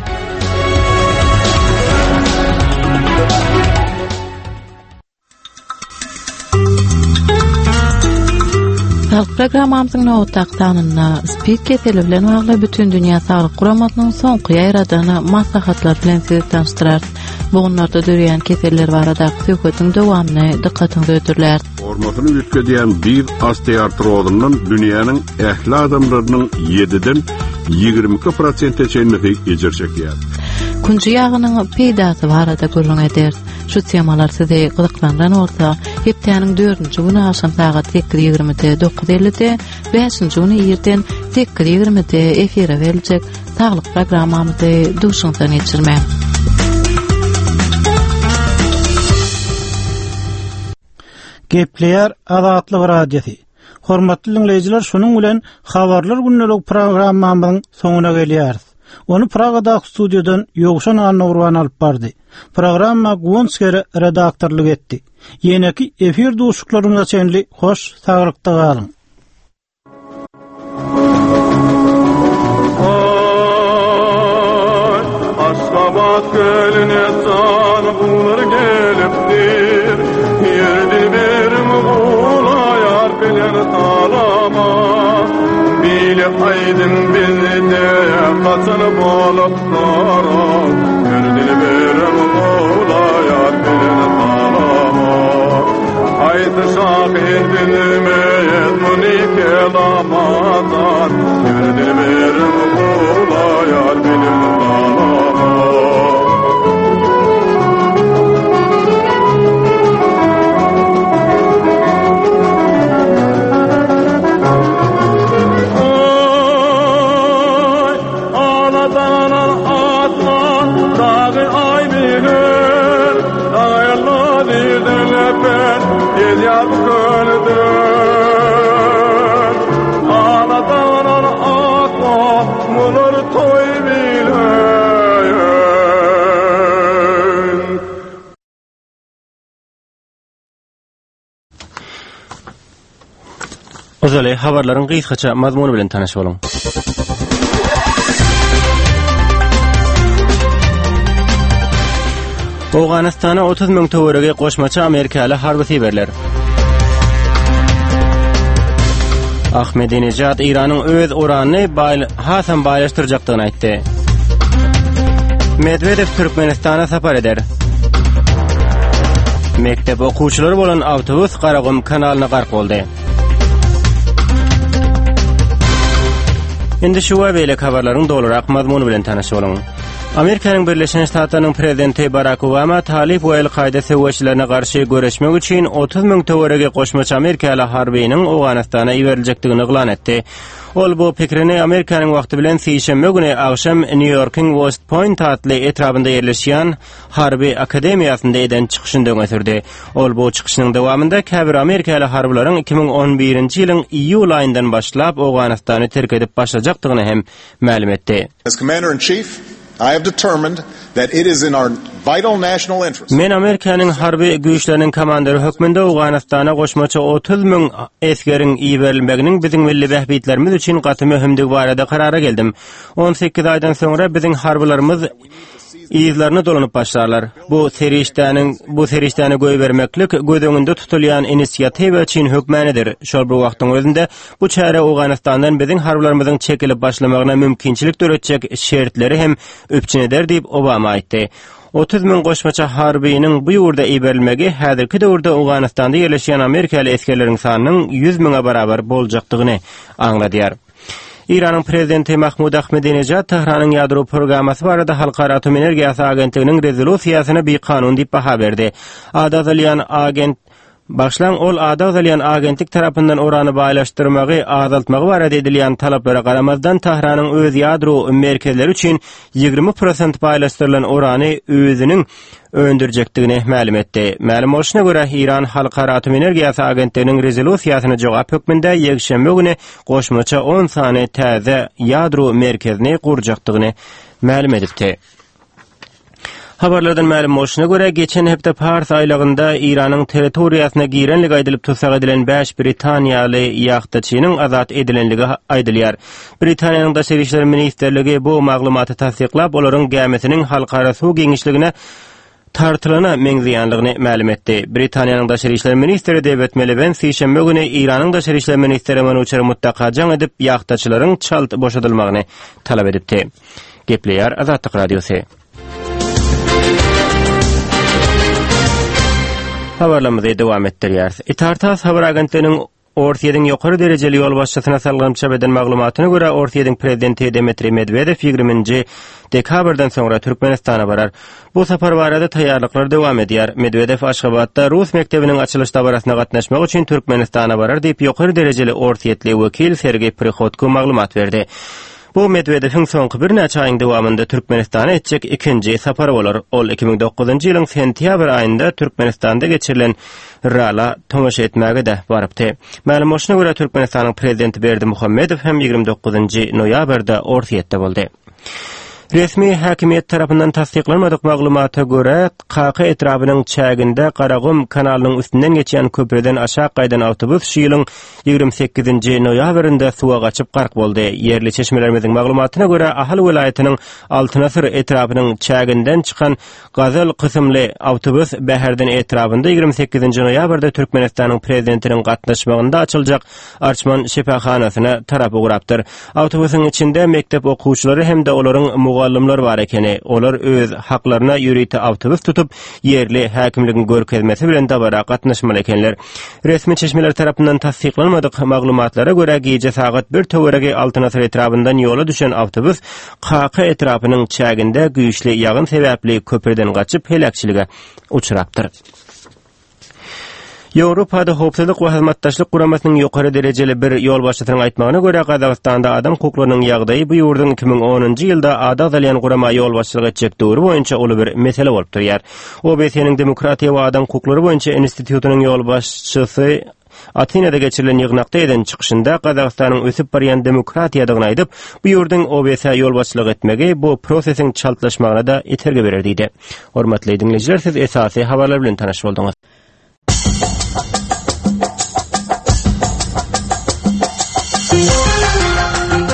S9: Saglyk programmamyzyň nobatdaky sanynda SPID keseli bilen bagly Bütindünýä Saglyk Guramasynyň soňky ýaýradan maslahatlary bilen sizi tanyşdyrarys. Bogunlarda döreýän keseller baradaky söhbetiň dowamyny dykgatyňyza hödürläris.
S8: Formasyny üýtgedýän dyz osteoartrozyndan dünýäniň ähli adamlarynyň ýediden 22 prosente çenlisi ejir çekýär.
S9: Künji ýagynyň peýdasy barada gürrüň ederis. Şu temalar sizi gyzyklandyran bolsa, hepdäniň dördünji güni agşam sagat 8:20-de, 9:50-de, bäşinji güni irden 8:20-de efire beriljek Saglyk programmamyzy duşuňyzdan geçirmäň.
S3: Gepleýär Azatlyk Radiosy. Hormatly diňleýjiler, şunuň bilen Habarlar gündelik programmamyzyň soňuna gelýäris. Ony Pragadaky studiýadan Ýowşan Annagurban alyp bardy. Programma Guwanç Gere redaktorlyk etdi. Ýeneki efir duşuşyklarymyza çenli hoş saglykda galyň.
S17: Aşgabat gölüne jan guwlar gelipdir. Ýer dilberim gulaýar bilen salama. Bile aýdym bizde gaçan bolupdyr. Ýer dilberim gulaýar bilen salama. Haýsy şahyr bilmez. Şirini kelamadan Yürü dilberim kulayar benim salama Oy, Aladanan atma dağı ay bilir Dağla dilden öpen gel yar gölden Aladanan atma mulur toy bilir
S1: Ozaly habarlaryň gysgaça mazmuny bilen tanyş boluň. Owganystana 30 müň töweregi goşmaça amerikaly harby iberiler. Ahmedinejad Eýranyň öz uranyny baý, hasam baýlaşdyrjakdygyny aýtdy. Medwedew Türkmenistana sapar eder. Mekdep okuwçylary bolan awtobus Garagum kanalyna gark boldy. Indi şu we beýleki habarlaryň dolurak mazmuny bilen tanyş boluň. Amerikanyň Birleşen Ştatlarynyň prezidenti Barak Obama Talyp we El-Kaýda söweşçilerine garşy göreşmek üçin 30 müň töweregi goşmaça amerikaly harbynyň Owganystana iberiljekdigini yglan etdi. Ol bu pikirini Amerikanyň wagty bilen sişenbe güni agşam Nýu-Ýorkuň West Point atly etrabynda ýerleşýän Harby akademiýasynda eden çykyşynda öňe sürdi. Ol bu çykyşynyň dowamynda käbir amerikaly harbylaryň 2011-nji ýylyň iýul aýyndan başlap Owganystany terk edip başlajakdygyny hem mälim etdi.
S2: As Commander-in-Chief, I have determined that it is in our vital national interest.
S1: Men Amerikanyň harby güýçleriniň komandiri hökmünde Owganystana goşmaça 30 müň esgeriň iberilmeginiň biziň milli bähbitlerimiz üçin gaty möhümdigi barada karara geldim. 18 aýdan soňra biziň harbylarymyz yzlaryna dolanyp başlarlar. Bu serişdäniň bu serişdäni goýbermeklik göz öňünde tutulýan inisiatiwa üçin hökmanydyr. Şol bir wagtyň özünde bu çäre Owganystandan biziň harbylarymyzyň çekilip başlamagyna mümkinçilik döretjek şertleri hem üpjün eder diýip, Obama aýtdy. 30 müň goşmaça harbynyň bu ýurda iberilmegi häzirki döwürde Owganystanda ýerleşýän amerikaly esgerleriň sanynyň 100 müňe barabar boljakdygyny aňladýar. Eýranyň prezidenti Mahmud Ahmedinejad Tähranyň ýadro programmasy barada Halkara atom energiýasy agentliginiň rezolýusiýasyna bikanun diýip baha berdi. Ady agzalýan agent Başlaň ol ady agzalýan agentlik tarapyndan urany baýlaşdyrmagy azaltmagy barada edilýän talaplara garamazdan Tähranyň öz ýadro merkezleri üçin 20 prosent baýlaşdyrylan urany özüniň öndürjekdigini mälim etdi. Mälim bolşuna görä, Eýran Halkara atom energiýasy agentliginiň rezolýusiýasyna jogap hökmünde ýekşenbe güni goşmaça on sany täze ýadro merkezini gurjakdygyny mälim edipdi. Habarlardan mälim bolşuna görä, geçen hepde Pars aýlagynda Eýranyň territoriýasyna girenligi aýdylyp tussag edilen bäş britaniýaly ýahtaçynyň azat edilenligi aýdylýar. Britaniýanyň Daşary işler ministrligi bu maglumaty tassyklap, olaryň gämisiniň halkara suw giňişligine tartylana meňzeýänligini mälim etdi. Britaniýanyň Daşary işler ministri Dewid Milibend sişenbe güni Eýranyň Daşary işler ministri Manuçer Muttaka jaň edip, ýahtaçylaryň çalt boşadylmagyny talap edipdi. Gepleýär Azatlyk Radiosy. Habarlarymyzy dowam etdirýäris. Itartas habar agentliginiň Orsýetiň ýokary derejeli ýolbaşçysyna salgylanyp çap eden maglumatyna görä, Orsýetiň prezidenti Dmitriý Medwedew ýigriminji dekabrdan soňra Türkmenistana barar. Bu sapar barada taýýarlyklar dowam edýär. Medwedew Aşgabatda rus mekdebiniň açylyş dabarasyna gatnaşmak üçin Türkmenistana barar diýip, ýokary derejeli orsýetli wekil Sergeý Prihodko maglumat berdi. Bu Medwedewiň soňky birnäçe aýyň dowamynda Türkmenistana etjek ikinji sapary bolar. Ol 2009-njy ýylyň sentýabr aýynda Türkmenistanda geçirilen rala tomaşa etmäge-de barypdy. Mälim bolşuna görä, Türkmenistanyň Prezidenti Berdimuhamedow hem 29-njy noýabrda Orsýetde boldy. Resmi häkimiýet tarapyndan tassyklanmadyk maglumata görä, Kaka etrabynyň çäginde Garagum kanalynyň üstünden geçýän köprüden aşak gaýdan awtobus şu ýylyň 28-nji noýabrynda suwa gaçyp gark boldy. Ýerli çeşmelerimiziň maglumatyna görä, Ahal welaýatynyň Altyn asyr etrapynyň çäginden çykan Gazel kysymly awtobus Bäherden etrabynda 28-nji noýabrda Türkmenistanyň Prezidentiniň gatnaşmagynda açyljak Arçman şypahanasyna tarap ugrapdyr. Awtobusyň içinde mekdep okuwçylary hem-de olaryň mugallymlary. mugallymlar bar ekeni. Olar öz haklaryna ýörite awtobus tutup, ýerli häkimligiň görkezmesi bilen dabara gatnaşmaly ekenler. Resmi çeşmeler tarapyndan tassyklanmadyk maglumatlara görä, gije sagat bir töweregi Altyn Asyr etrabyndan ýola düşen awtobus Kaka etrapynyň çäginde güýçli ýagyn sebäpli köprüden gaçyp heläkçilige uçrapdyr. Ýewropada Howpsuzlyk we Hyzmatdaşlyk Guramasynyň ýokary derejeli bir ýolbaşçysynyň aýtmagyna görä, Gazagystanda adam hukuklarynyň ýagdaýy bu ýurduň 2010-njy ýylda ady agzalýan gurama ýolbaşçylyk etjek döwri boýunça uly bir mesele bolup durýar. OBSE-niň Demokratiýa we adam hukuklary boýunça institutynyň ýolbaşçysy Atinada geçirilen ýygnakda eden çykyşynda Gazagystanyň ösüp barýan demokratiýadygyny aýdyp, bu ýurduň OBSE ýolbaşçylyk etmegi bu prosesiň çaltlaşmagyna-da itergi berer diýdi. Hormatly diňleýjiler, siz esasy habarlar bilen tanyş bolduňyz.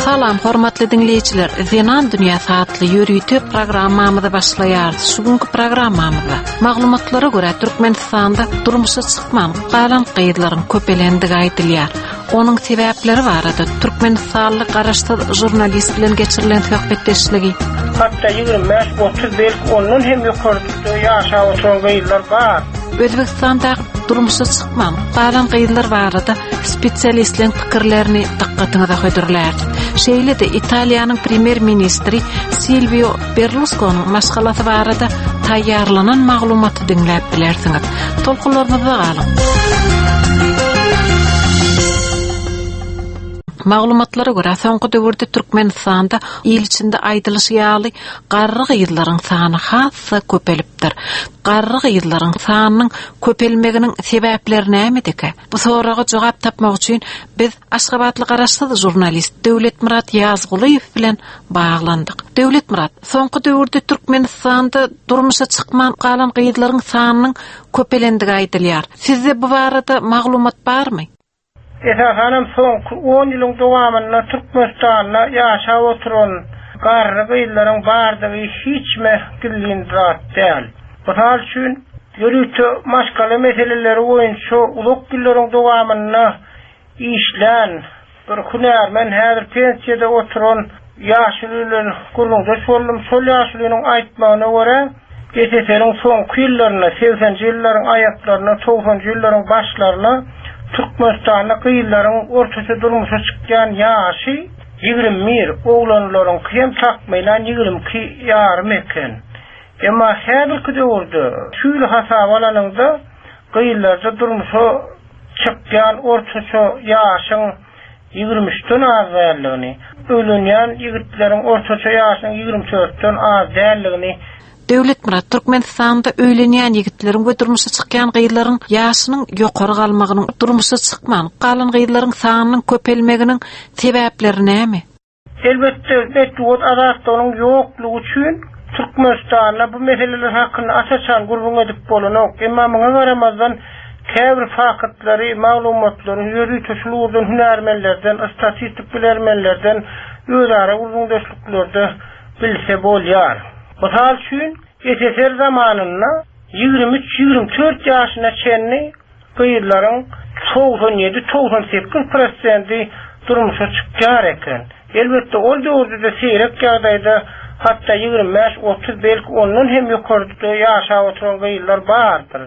S13: Salam hormatly diňleýjiler. Zenan dünýäsi atly ýörite programmamyzy başlaýarys. Şu günki programmamyzda maglumatlara görä Türkmenistanda durmuşa çykman galan gyzlaryň köpelendigi aýdylýar. Onuň sebäpleri barada türkmenistanly garaşsyz žurnalist bilen geçirilen söhbetdeşligi.
S18: Hatda 25, 30 belki ondan hem ýokarda ýaşap oturan gyzlar bar.
S13: Özbegistandaky durmuşa çykman galan gyzlar barada spesialistleriň pikirlerini dykgatyňyza hödürläris. Şeýle-de Italiýanyň premýer-ministri Silwio Berluskonyň maşgalasy barada taýýarlanan maglumaty diňläp bilersiňiz. Tolkunlarymyzda galyň. Maglumatlara görä, soňky döwürde Türkmenistanda il içinde aýdylyşy ýaly, garry gyzlaryň sany has-da köpelipdir. Garry gyzlaryň sanynyň köpelmeginiň sebäpleri nämedekä? Bu soraga jogap tapmak üçin biz Aşgabatly garaşsyz žurnalist Döwletmyrat Ýazgulyýew bilen baglandyk. Döwletmyrat, soňky döwürde Türkmenistanda durmuşa çykman galan gyzlaryň sanynyň köpelendigi aýdylýar. Sizde bu barada maglumat barmy?
S18: Esasanam soňky on ýylyň dowamynda Türkmenistanda ýaşap oturan garry gyzlaryň bardygy hiçme gizlin zat däl. Mysal üçin, ýörite maşgala meseleleri boýunça uzak ýyllaryň dowamynda işlän bir hünärmen, häzir pensiýada oturan ýaşuly bilen gürrüňdeş boldum. Şol ýaşulynyň aýtmagyna görä, SSR-iň soňky ýyllarynda, segsenji ýyllaryň aýaklarynda, togsanjy ýyllaryň başlarynda Türkmenistanda gyzlaryň ortaça durmuşa çykýan ýaşy 21, oglanlaryňky hem takmynan 22 ýarym eken. Emma häzirki döwürde şu ýyly hasaba alanyňda, gyzlarda durmuşa çykýan ortaça ýaşyň 23-den az däldigini, öýlenýän ýigitleriň ortaça ýaşynyň 24-den az däldigini
S13: Döwletmyrat, Türkmenistanda öýlenýän ýigitleriň we durmuşa çykýan gyzlaryň ýaşynyň ýokary galmagynyň, durmuşa çykman galan gyzlaryň sanynyň köpelmeginiň sebäpleri näme?
S18: Elbetde, metbugat azatlygynyň ýoklugy üçin Türkmenistanda bu meseleler hakynda aç-açan gürrüň edip bolanok. Emma muňa garamazdan, käbir faktlary, maglumatlary ýörite şul ugurdan hünärmenlerden, statistik bilermenlerden özara gürrüňdeşliklerde bilse bolýar. Mysal üçin, SSR zamanynda 23-24 ýaşyna çenli Gyzlaryň 97, 98 prosenti durmuşa çykýar eken. Elbetde, ol döwürde-de seýrek ýagdaýda, hatda 25, 30, belki ondan hem ýokarda ýaşap oturan gyzlar bardyr.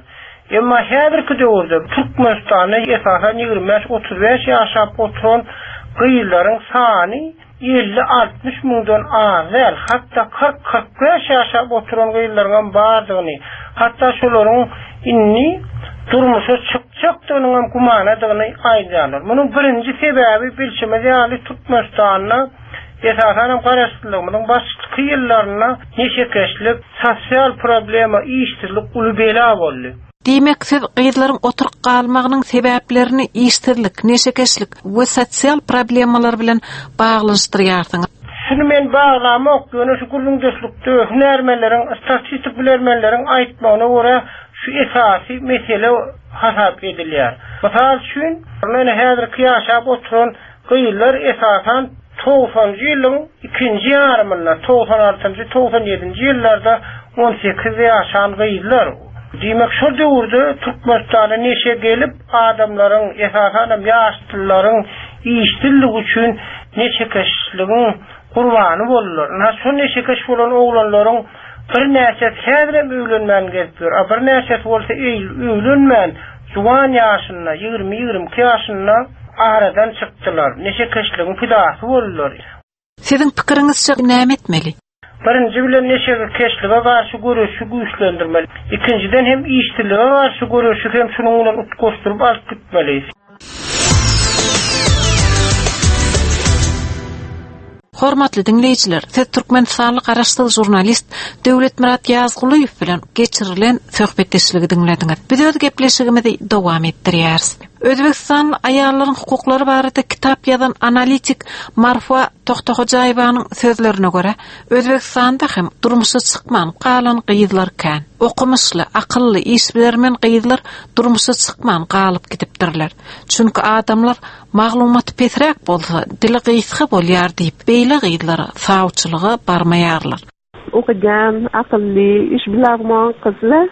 S18: Emma häzirki döwürde Türkmenistanda esasan 25, 35 ýaşap oturan gyzlaryň sany 50-60 müňden az däl, hatda 40-45 ýaşap oturan gyzlaryňam bardygyny, hatda şolaryň indi durmuşa çykjakdygynyňam gümanadygyny aýdýarlar. Munuň birinji sebäbi, bilşimiz ýaly, Türkmenistanda, esasanam garaşsyzlygymyzyň başky ýyllarynda neşekeşlik, sosial problema, işsizlik uly bela boldy.
S13: Diýmek, siz gyzlaryň oturyp galmagynyň sebäplerini işsizlik, neşekeşlik we sosial problemalar bilen baglanyşdyrýarsyňyz.
S18: Şuny men baglamok, ýöne şu gürrüňdeşlikde hünärmenleriň, statistik bilermenleriň aýtmagyna görä şu esasy mesele hasap edilýär. Mysal üçin, ine häzirki ýaşap oturan Gyzlar esasan togsanjy ýylyň ikinji ýarymynda, 96-njy, 97-nji ýyllarda on sekizde ýaşan gyzlar. Diýmek, şol döwürde Türkmenistana neşe gelip, adamlaryň, esasanam ýaşlylaryň işsizligi üçin neşekeşligiň. gurbany boldular. Ynha, şo neşekeş bolan oglanlaryň birnäçesi häzirem öýlenmän gezip ýör, a birnäçesi bolsa öýlenmän, juwan ýaşynda, ýigrimi-ýigrimi iki ýaşynda aradan çykdylar, neşekeşligiň pidasy boldular.
S13: Siziň pikiriňizçe näme etmeli?
S18: Birinji bilen neşekeşlige garşy göreşi güýçlendirmeli. Ikinjiden hem işsizlige garşy göreşi hem şunuň bilen utgaşdyryp alyp gitmeli.
S13: Hormatly diňleýjiler, siz türkmenistanly garaşsyz žurnalist Döwletmyrat Ýazgulyýew bilen geçirilen söhbetdeşligi diňlediňiz. Biz öz gepleşigimizi dowam etdirýäris. Özbegistanly aýallaryň hukuklary barada kitap ýazan analitik Marfa Tohtahojaýewanyň sözlerine görä, Özbegistanda hem durmuşa çykman galan gyzlar kän. Okumyşly, akylly, işbilermen gyzlar durmuşa çykman galyp gidipdirler. Çünki adamlar maglumaty pesräk bolsa, dili gysga bolýar diýip, beýle gyzlara sawçylyga barmaýarlar.
S19: Okagan, akylly, iş bilarman gyzlar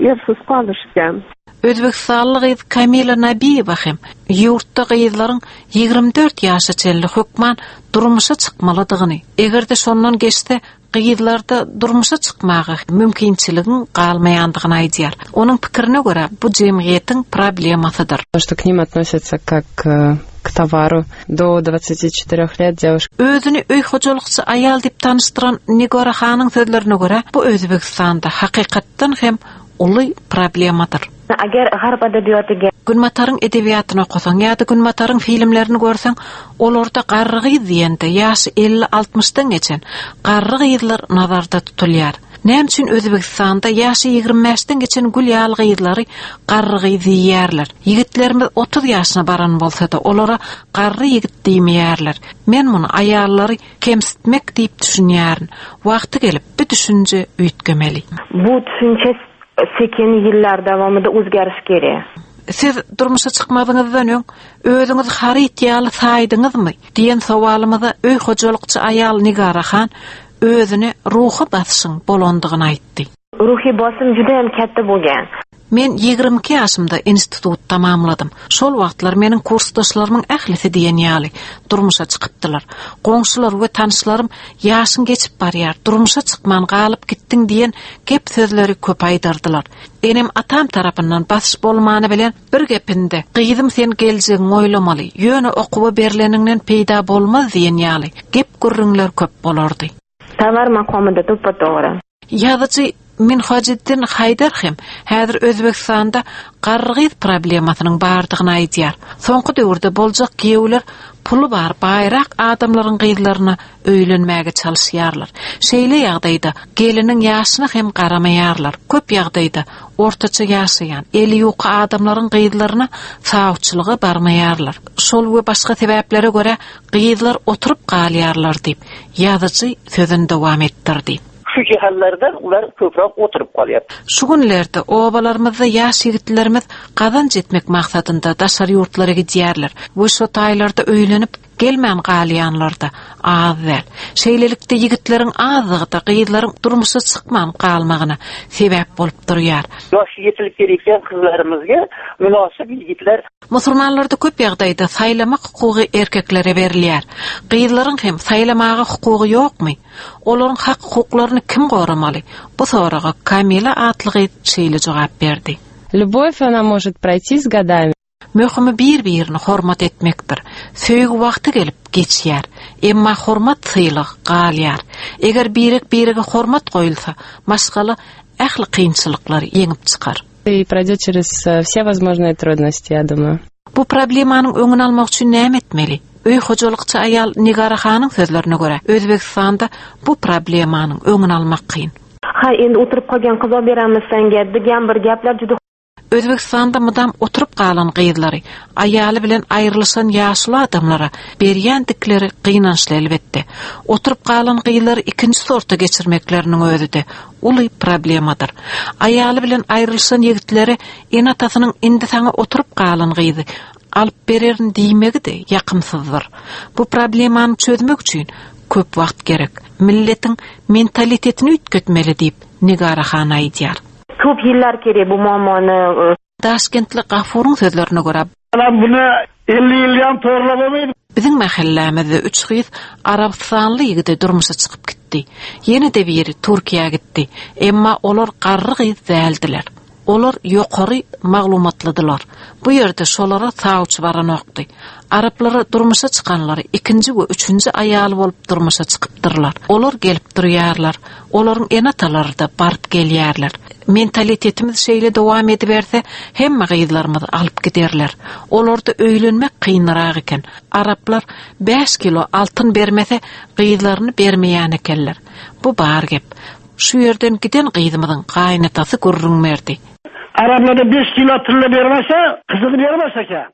S19: ersiz galyşgan.
S13: Özbegistanly gyz Kamila Nabiýewa hem ýurtda gyzlaryň 24 ýaşa çenli hökman durmuşa çykmalydygyny, eger-de şondan geçse, gyzlarda durmuşa çykmaga mümkinçiligiň galmaýandygyny aýdýar. Onuň pikirine görä, bu jemgyýetiň problemasydyr.
S20: Что к ним относятся как э, к товару. Do 24 лет девушка.
S13: Özüni öý hojalykçy aýal diýip tanyşdyran Nigora hanyň sözlerine görä, bu Özbegistanda hakykatdan hem uly problemadyr.
S21: Agar g'arb adabiyotiga
S13: Günbataryň edebiýatyny okasaň ýa-da Günbataryň filmlerini görseň, olarda garry gyz diýende ýaşy elli-altmyşdan geçen garry gyzlar nazarda tutulýar. Näme üçin Özbegistanda ýaşy ýigrimi bäşden geçen gül ýaly gyzlary garry gyz diýýärler? Ýigitlerimiz 30 ýaşyna baran bolsa-da, olara garry ýigit diýmeýärler. Men muny aýallary kemsitmek diýip düşünýärin. Wagty gelip, bu düşünje üýtgemeli.
S21: Bu tushuncha sekin yillar davomida o'zgarishi kerak.
S13: Siz durmuşa çykmazyňyzdan öň özüňizi haryt ýaly saýdyňyzmy? diýen sowalymyza öý hojalykçy aýal Nigara han özüne ruhy basyşyň bolandygyny aýtdy.
S21: Ruhiy bosim judayam katta bo'lgan.
S13: Men 22 ýaşymda institut tamamladym. Şol wagtlar meniň kursdaşlarymyň ählisi diýen ýaly durmuşa çykypdylar. Goňşular we tanyşlarym ýaşyň geçip barýar, durmuşa çykman galyp gitdiň diýen gep sözleri köp aýdardylar. Enem atam tarapyndan basyş bolmany bilen bir gepinde, Gyzym sen geljegiňi oýlamaly, ýöne okuwa berleniňden peýda bolmaz diýen ýaly gep-gürrüňler köp bolardy.
S21: Tovar maqomida to'ppa-to'g'ri.
S13: Ýazyjy Minhajiddin Haýdar hem häzir Özbegistanda garry gyz problemasynyň bardygyny aýdýar. Soňky döwürde boljak giýewler puly bar baýrak adamlaryň gyzlaryna öýlenmäge çalyşýarlar. Şeýle ýagdaýda geliniň ýaşyna hem garamaýarlar. Köp ýagdaýda ortaça ýaşaýan, eli ýuka adamlaryň gyzlaryna sawçylyga barmaýarlar. Şol we başga sebäplere görä gyzlar oturyp galýarlar diýip, ýazyjy sözüni dowam etdirdi.
S22: Şu jihatlardan ular köpräk oturyp galýar.
S13: Şu günlerde obalarymyzda ýaş ýigitlerimiz gazanç etmek maksadynda daşary ýurtlara gidýärler we şo taýlarda öýlenip, gelmän galýanlar-da az däl. Şeýlelikde, ýigitleriň azlygy-da gyzlaryň durmuşa çykman galmagyna sebäp bolup durýar.
S22: Ýaş ýetilip gelýän gyzlarymyzga mynasyp ýigitler.
S13: Musulmanlarda köp ýagdaýda saýlamak hukugy erkeklere berilýär. Gyzlaryň hem saýlamaga hukugy ýokmy? Olaryň hak-hukuklaryny kim goramaly? Bu soraga Kamila atly gyz şeýle jogap berdi.
S20: Любовь, она может пройти с годами.
S13: Möhümi bir-birini hormat etmekdir. Söýgi wagty gelip, geçýär. Emma hormat-sylag galýar. Eger birek-birege hormat goýulsa, maşgala ähli kynçylyklary ýeňip çykar.
S20: И пройдет через все возможные трудности, я думаю.
S13: Bu problemanyň öňüni almak üçin näme etmeli? Öý hojalykçy aýal Nigara hanyň sözlerine görä, Özbegistanda bu problemanyň öňüni almak kyn.
S21: Ha, endi o'tirib qolgan qiz olib beramiz senga degan bir gaplar juda
S13: Özbegistanda mydam oturyp galan gyzlary aýaly bilen aýrylyşan ýaşuly adamlara berýändikleri gynançly elbetde. Oturyp galan gyzlary ikinji sorta geçirmekleriniň özi-de uly problemadyr. Aýaly bilen aýrylyşan ýigitlere ene-atasynyň indi saňa oturyp galan gyzy alyp bererin diýmegi-de ýakymsyzdyr. Bu problemany çözmek üçin köp wagt gerek. Milletiň mentalitetini üýtgetmeli diýip, Nigara han aýdýar.
S21: Ko'p yillar kerak bu muammoni.
S13: Daşkentli Gafuryň sözlerine görä,
S23: Alam buna 50 ýyl ýan torlamamy.
S13: Biziň mähellämizde üç gyz arabystanly ýigide durmuşa çykyp gitdi. Ýene-de biri Türkiýä gitdi. Emma olar garry gyz däldiler. Olar ýokary maglumatlydylar. Bu ýerde şolara sawçy baranokdy. Araplara durmuşa çykanlary ikinji we üçünji aýaly bolup durmuşa çykypdyrlar. Olar gelip durýarlar. Olaryň ene-atalary-da baryp gelýärler. Mentalitetimiz şeýle dowam ediberse, hemme gyzlarymyzy alyp giderler. Olarda öýlenmek kynrak eken. Araplar bäş kilo altyn bermese, gyzlaryny bermeýän ekenler. Bu bar gep. Şu ýerden giden gyzymyzyň gaýynatasy gürrüň berdi.
S4: Araplarda beş kilo tylla bermese, gyzyny bermez eken.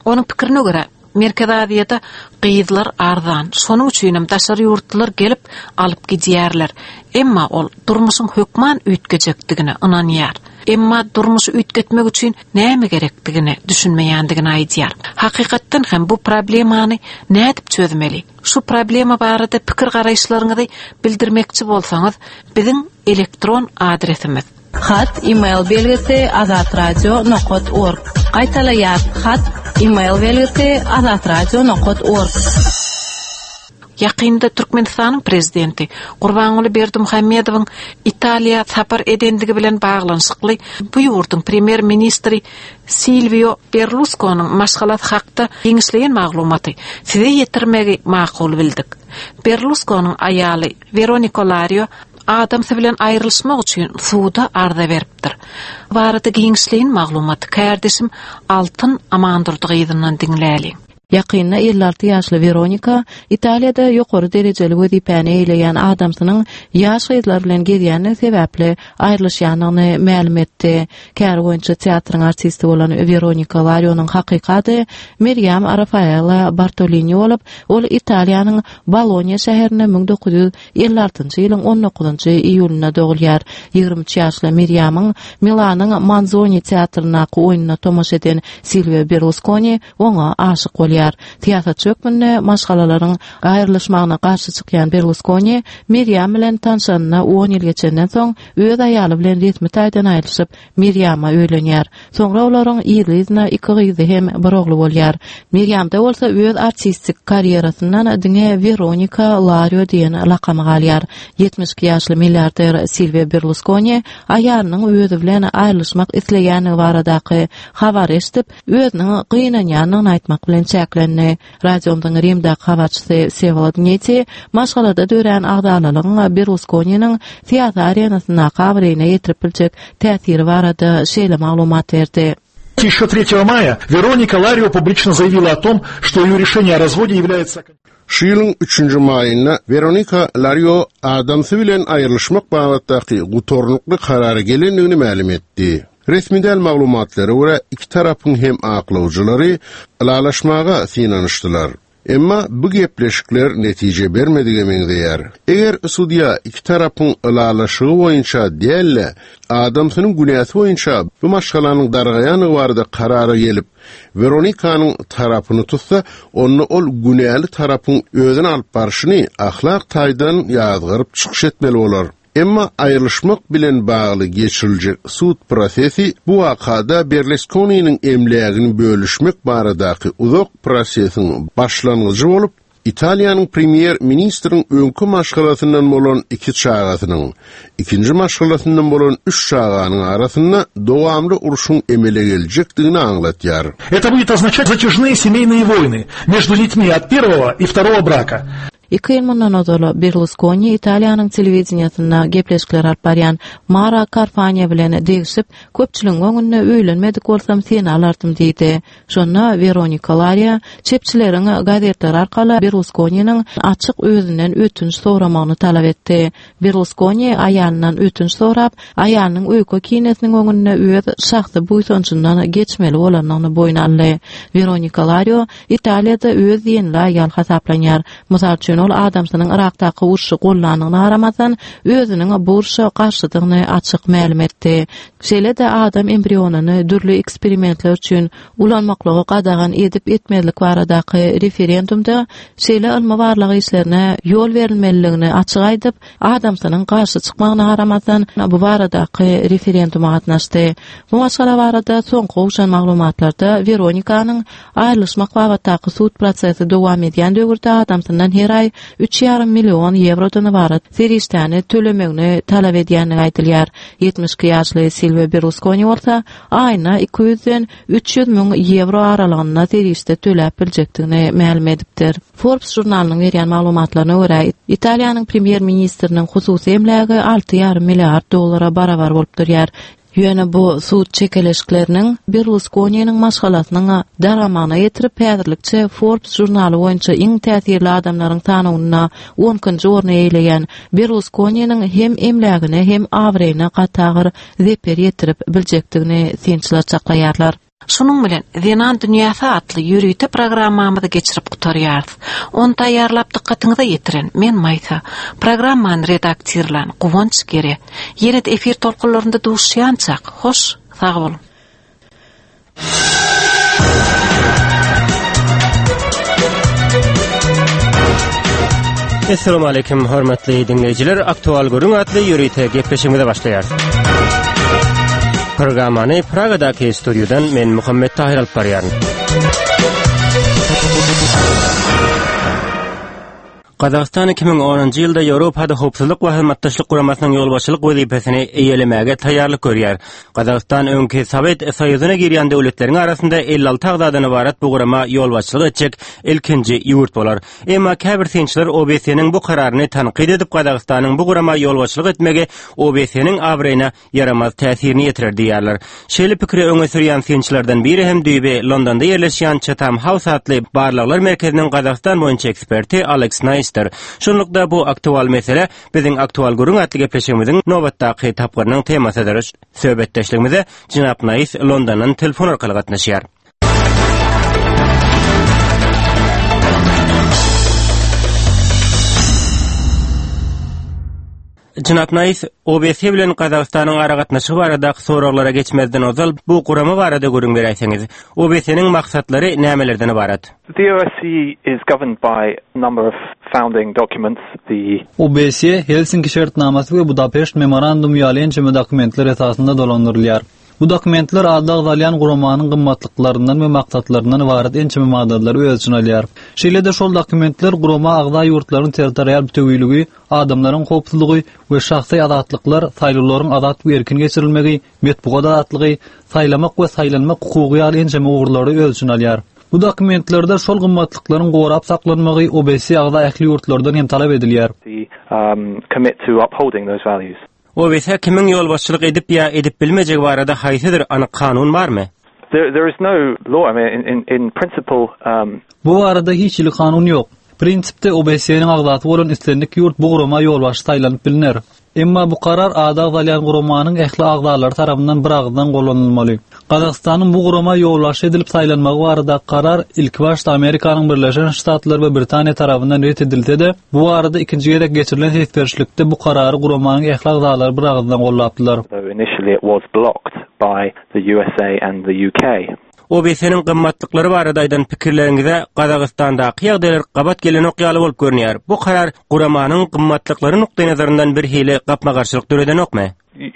S13: Onuň pikirine görä, Merkezi Aziýada gyzlar arzan, şonuň üçinem daşary ýurtlular gelip, alyp gidýärler. Emma ol durmuşyň hökman üýtgejekdigine ynanýar. Emma durmuşy üýtgetmek üçin näme gerekdigine düşünmeýändigini aýdýar. Hakykatdan hem bu problemany nädip çözmeli? Şu problema barada pikir-garaýyşlaryňyzy bildirmekçi bolsaňyz, biziň elektron adresimiz.
S10: Hat, email belgisi azatradio nokat org. Gaýtalaýas, hat, email belgisi azatradio nokat org.
S13: Ýakynda Türkmenistanyň Prezidenti Gurbanguly Berdimuhamedowyň Italiýa sapar edendigi bilen baglanyşykly bu ýurduň Premýer-ministri Silwio Berluskonyň maşgalasy hakda giňişleýin maglumaty size ýetirmegi makul bildik. Berluskonyň aýaly Weroniko Lario adamsy bilen aýrylyşmak üçin suda arza beripdir. Barada giňişleýin maglumaty kärdeşim Altyn Amandurdy gyzyndan diňläliň.
S9: Ýakynda 56 ýaşly Weronika Italiýada ýokary derejeli wezipäni eýeleýän adamsynyň ýaş gyzlar bilen gezýändigi sebäpli aýrylyşýandygyny mälim etdi. Käri boýunça teatryň artisti bolan Weronika Larionyň hakyky ady Mirýam Rafaela Bartolini bolup, ol Italiýanyň Bolonýa şäherinde 1956-njy ýylyň on dokuzynjy iýulynda dogulýar. 23 ýaşly Mirýamyň Milanyň Manzoni teatryndaky oýnuna tomaşa eden Silwio Berluskoni oňa aşyk bolýar. Syýasatçy hökmünde maşgalalaryň aýrylyşmagyna garşy çykýan Berluskoni Mirýam bilen tanşanyna on ýyl geçenden soň öz aýaly bilen resmi taýdan aýrylyşyp, Mirýama öýlenýär. Soňra olaryň yzly-yzyna iki gyzy hem bir ogly bolýar. Mirýamda bolsa öz artistik karýerasyndan diňe Weronika Lario diýen lakamy galýar. 72 ýaşly milliarder Silwio Berluskoni aýalynyň özi bilen aýrylyşmak isleýändigi baradaky habary eşidip, özüniň gynanýandygyny aýtmak bilen çäklendi. Radiomyzyň Rimdäki habarçysy Wsewolod Neti maşgalada dörän agzalalygyň Berluskoniniň syýasy arenasyndaky abraýyna ýetirip biljek täsiri barada şeýle maglumat berdi.
S23: Еще 3 мая Вероника Ларио публично заявила о том, что ее решение о разводе является...
S8: Şu ýylyň üçünji maýynda Weronika Lario adamsy bilen aýrylyşmak babatdaky gutarnykly karara gelendigini mälim etdi. Resmi däl maglumatlara görä, iki tarapyň hem aklawjylary ylalaşmaga synanyşdylar. Emma bu gepleşikler netije bermedige meňzeýär. Eger sudýa iki tarapyň ylalaşygy boýunça däl-de, adamsynyň günäsi boýunça bu maşgalanyň dargaýandygy barada karara gelip, Weronikanyň tarapyny tutsa, onda ol günäli tarapyň özüni alyp barşyny ahlak taýdan ýazgaryp çykyş etmeli bolar. Emma aýrylyşmak bilen bagly geçiriljek sud prosesi bu wakada Berluskoniniň emlägini bölüşmek baradaky uzak prosesiň başlangyjy bolup, Italiýanyň premýer-ministriň öňki maşgalasyndan bolan iki çagasynyň, ikinji maşgalasyndan bolan üç çaganyň arasynda dowamly urşuň emele geljekdigini aňlatýar.
S23: Это будет означать затяжные семейные войны между детьми от первого и второго брака.
S9: Iki ýyl mundan ozal Berluskoni Italiýanyň telewideniýesinde gepleşikler alyp barýan Mara Karfaniýa bilen degişip, köpçüligiň öňünde öýlenmedik bolsam seni alardym diýdi. Şonda Weronika Lariýa çepçileriň gazetler arkaly Berluskoniniň açyk özünden ötünç soramagyny talap etdi. Berluskoni aýalyndan ötünç sorap, aýalynyň öýke-kinesiniň öňünde öz şahsy buýsanjyndan geçmeli bolandygyny boýun aldy. Weronika Lario Italiýada öz diýenli aýal hasaplanýar. Mysal üçin,
S10: Ýöne ol adamsynyň Yrakdaky urşy gollandygyna garamazdan, özüniň bu urşa garşydygyny açyk mälim etdi. Şeýle-de adam embrionyny dürli eksperimentler üçin ulanmaklygy gadagan edip-etmezlik baradaky referendumda şeýle ylmy-barlag işlerine ýol berilmeliligini açyk aýdyp, adamsynyň garşy çykmagyna garamazdan, bu baradaky referenduma gatnaşdy. Bu maşgala barada soňky gowşan maglumatlarda Weronikanyň aýrylyşmak babatdaky sud prosesi dowam edýän döwürde adamsyndan her aý üç ýarym million ýewrodan ybarat serişdäni tölemegini talap edýändigi aýdylýar. 72 ýaşly Silwio Berluskoni bolsa aýyna 200-den 300 müň ýewro aralygynda serişde töläp biljekdigini mälim edipdir. Forbes žurnalynyň berýän maglumatlaryna görä, Italiýanyň premýer-ministriniň hususy emlägi alty ýarym milliard dollara barabar bolup durýar. Ýöne bu sud çekeleşikleriniň Berluskoniniň maşgalasynyň dargamagyna getirip, häzirlikçe Forbes žurnaly boýunça iň täsirli adamlaryň sanawynda on ikinji orny eýeleýän Berluskoniniň hem emlägine, hem abraýyna gaty agyr zeper ýetirip biljekdigini synçylar çaklaýarlar.
S13: Şunuň bilen, Zenan dünýäsi atly ýörite programmamyzy geçirip gutarýarys. Ony taýýarlap dykgatyňyza ýetiren men Maýsa. Programmany redaktirlän Guwanç Gere. Ýene-de efir tolkunlarynda duşýançak, hoş, sag boluň!
S1: Essalamu aleýkum hormatly diňleýjiler. Aktual gürrüň atly ýörite gepleşigimize başlaýarys. Programmany Pragadaky studiýadan men Muhammet Tahir alyp barýaryn. Gazagystan 2010-njy ýylda Ýewropada Howpsuzlyk we Hyzmatdaşlyk Guramasynyň ýolbaşçylyk wezipesini eýelemäge taýýarlyk görýär. Gazagystan öňki Sowet Soýuzyna girýän döwletleriň arasynda 56 agzadan ybarat bu gurama ýolbaşçylyk etjek ilkinji ýurt bolar. Emma käbir synçylar OBSE-niň bu kararyny tankyt edip, Gazagystanyň bu gurama ýolbaşçylyk etmegi OBSE-niň abraýyna ýaramaz täsirini ýetirer diýýärler. Şeýle pikiri öňe sürýän synçylardan biri hem düýbi Londonda ýerleşýän Chatham House atly barlaglar merkeziniň Gazagystan boýunça eksperti Aleks Naýsdir. Şunlukda bu aktual mesele biziň Aktual gürrüň atly gepleşigimiziň nobatdaky tapgyrynyň temasydyr. Söhbetdeşligimize jenap Naýs Londondan telefon arkaly gatnaşýar. Jenap Naýs, OBSE bilen Gazagystanyň aragatnaşygy baradaky soraglara geçmezden ozal bu gurama barada gürrüň beräýseňiz. OBSE-niň maksatlary nämelerden ybarat?
S5: The OSCE is governed by a number of founding documents, the.
S16: OBSE, Helsinki şertnamasy we Budapeşt memorandumy ýaly ençeme dokumentler esasynda dolandyrylýar. Bu dokumentler ady agzalýan guramanyň gymmatlyklaryndan we maksatlaryndan ybarat ençeme maddalary öz içine alýar. Şeýle-de şol dokumentler gurama agza ýurtlaryň territorial bütewiligi, adamlaryň howpsuzlygy we şahsy azatlyklar, saýlawlaryň azat we erkin geçirilmegi, metbugat azatlygy, saýlamak we saýlanmak hukugy ýaly ençeme ugurlary öz içine alýar. Bu dokumentlerde şol gymmatlyklaryň gorap saklanmagy OBSE agza ähli ýurtlardan hem talap edilýär.
S1: OBSE kimiň ýolbaşçylyk edip ýa edip bilmejegi barada haýsydyr anyk kanun barmy?
S5: There is no law, I mean, in, in principle, um...
S16: Bu barada hiç hili kanun ýok. Prinsipde OBSE-niň agzasy bolan islendik ýurt bu gurama ýolbaşçy saýlanyp bilner. Emma bu karar ady agzalýan guramanyň ähli agzalary tarapyndan biragyzdan gollanylmaly. Gazagystanyň bu gurama ýolbaşçy edilip saýlanmagy baradaky karar ilkibaşda Amerikanyň Birleşen Ştatlary we Britaniýa tarapyndan ret edilse-de, bu barada ikinji gezek geçirilen ses berişlikde bu karary guramanyň ähli agzalary biragyzdan gollapdylar.
S1: OBSE-niň gymmatlyklary barada aýdan pikirleriňize Gazagystandaky ýagdaýlar gabat gelenok ýaly bolup görünýär. Bu karar guramanyň gymmatlyklary nukdaýnazaryndan birhili gapma-garşylyk döredenokmy?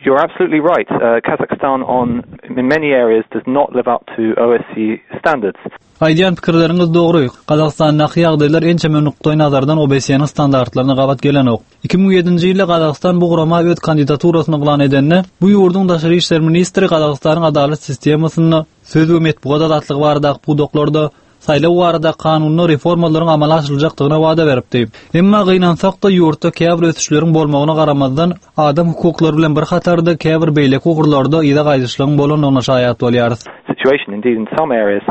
S5: You're absolutely right. Kazakhstan on in many areas does not live up to OSCE standards.
S16: Aýdýan pikirleriňiz dogry. Gazagystandaky ýagdaýlar ençeme nukdaýnazardan OBSE-niň standartlaryna gabat gelenok. 2007-nji ýylda Gazagystan bu gurama öz kandidaturasyny yglan edende, bu ýurduň daşary işler ministri Gazagystanyň adalat sistemasynda, söz we metbugat azatlygy baradaky pudaklarda, saýlaw baradaky kanunda reformalaryň amala aşyryljakdygyna wada beripdi. Emma gynansak-da, ýurtda käbir ösüşleriň bolmagyna garamazdan, adam hukuklary bilen bir hatarda käbir beýleki ugurlarda yza gaýdyşlygyň bolandygyna şaýat bolýarys.
S5: Situation. Indeed, in some areas,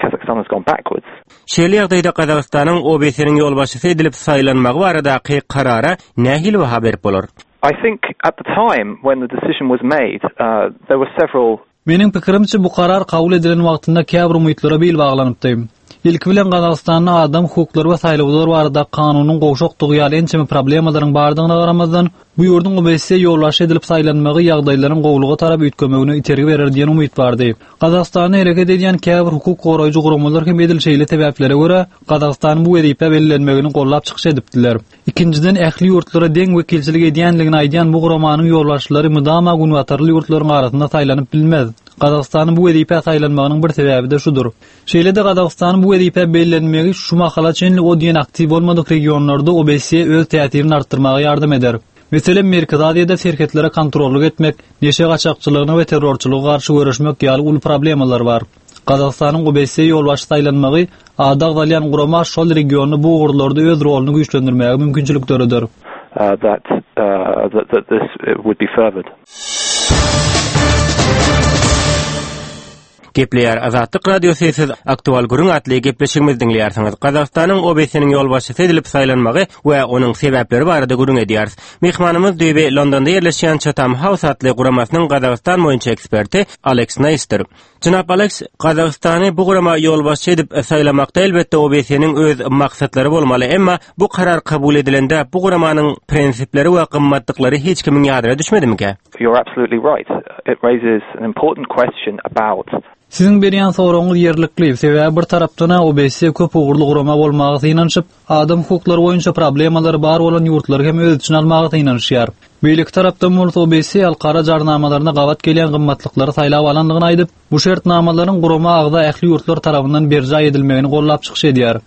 S5: Kazakhstan has gone backwards.
S1: Şeýle ýagdaýda Gazagystanyň OBSE-niň ýolbaşçysy edilip saýlanmagy baradaky karara nähili baha berip bolar?
S5: I think at the time when the decision was made, there were several
S16: Meniň pikirimçe, bu karar kabul edilen wagtynda käbir umytlara bil baglanypdy. Ilki bilen Gazagystanda adam hukuklary we saýlawlar baradaky kanunyň gowşakdygy ýaly ençeme problemalaryň bardygyna garamazdan, bu ýurduň OBSE ýolbaşçy edilip saýlanmagy ýagdaýlaryň gowulyga tarap üýtgemegine itergi berer diýen umyt bardy. Gazagystanda hereket edýän käbir hukuk goraýjy guramalar hem edil şeýle sebäplere görä, Gazagystanyň bu wezipä bellenmegini gollap çykyş edipdiler. Ikinjiden, ähli ýurtlara deň wekilçilik edýänligini aýdýan bu guramanyň ýolbaşçylary mydama günbatarly ýurtlaryň arasynda saýlanyp bilmez. Gazagystanyň bu wezipä saýlanmagynyň bir sebäbi-de şudur. Şeýle-de Gazagystanyň bu wezipä bellenmegi şu mahala çenli o diýen aktiw bolmadyk regionlarda OBSE öz täsirini artdyrmaga ýardam eder. Meselem, Merkezi Aziýada serhetlere kontrollyk etmek, neşe gaçakçylygyna we terrorçylyga garşy göreşmek ýaly uly problemalar bar. Gazagystanyň OBSE ýolbaşçy saýlanmagy ady agzalýan gurama şol regionda bu ugurlarda öz roluny güýçlendirmäge mümkinçilik döreder.
S5: that that this would be furthered.
S1: Gepleýär Azatlyk Radiosy siz Aktual gürrüň atly gepleşigimizi diňleýärsiňiz. Gazagystanyň OBSE-niň ýolbaşçysy edilip saýlanmagy we onuň sebäpleri barada gürrüň edýäris. Myhmanymyz düýbi Londonda ýerleşýän Chatham House atly guramasynyň Gazagystan boýunça eksperti Aleks Neýsdir. Jenap Aleks, Gazagystany bu gurama ýolbaşçy edip saýlamakda elbetde OBSE-niň öz maksatlary bolmaly, emma bu karar kabul edilende bu guramanyň prinsipleri we gymmatlyklary hiç kimiň ýadyna düşmedimikä?
S5: You're absolutely right. It raises an important question about.
S16: Siziň berýän soragyňyz ýerlikli, sebäbi bir tarapdan-a OBSE köp ugurly gurama bolmaga synanyşyp, adam hukuklary boýunça problemalary bar bolan ýurtlary hem öz içine almaga synanyşýar. Beýleki tarapdan bolsa OBSE halkara jarnamalaryna gabat gelýän gymmatlyklary saýlap alandygyny aýdyp, bu şertnamalaryň gurama agza ähli ýurtlar tarapyndan berjaý edilmegini gollap çykyş edýär.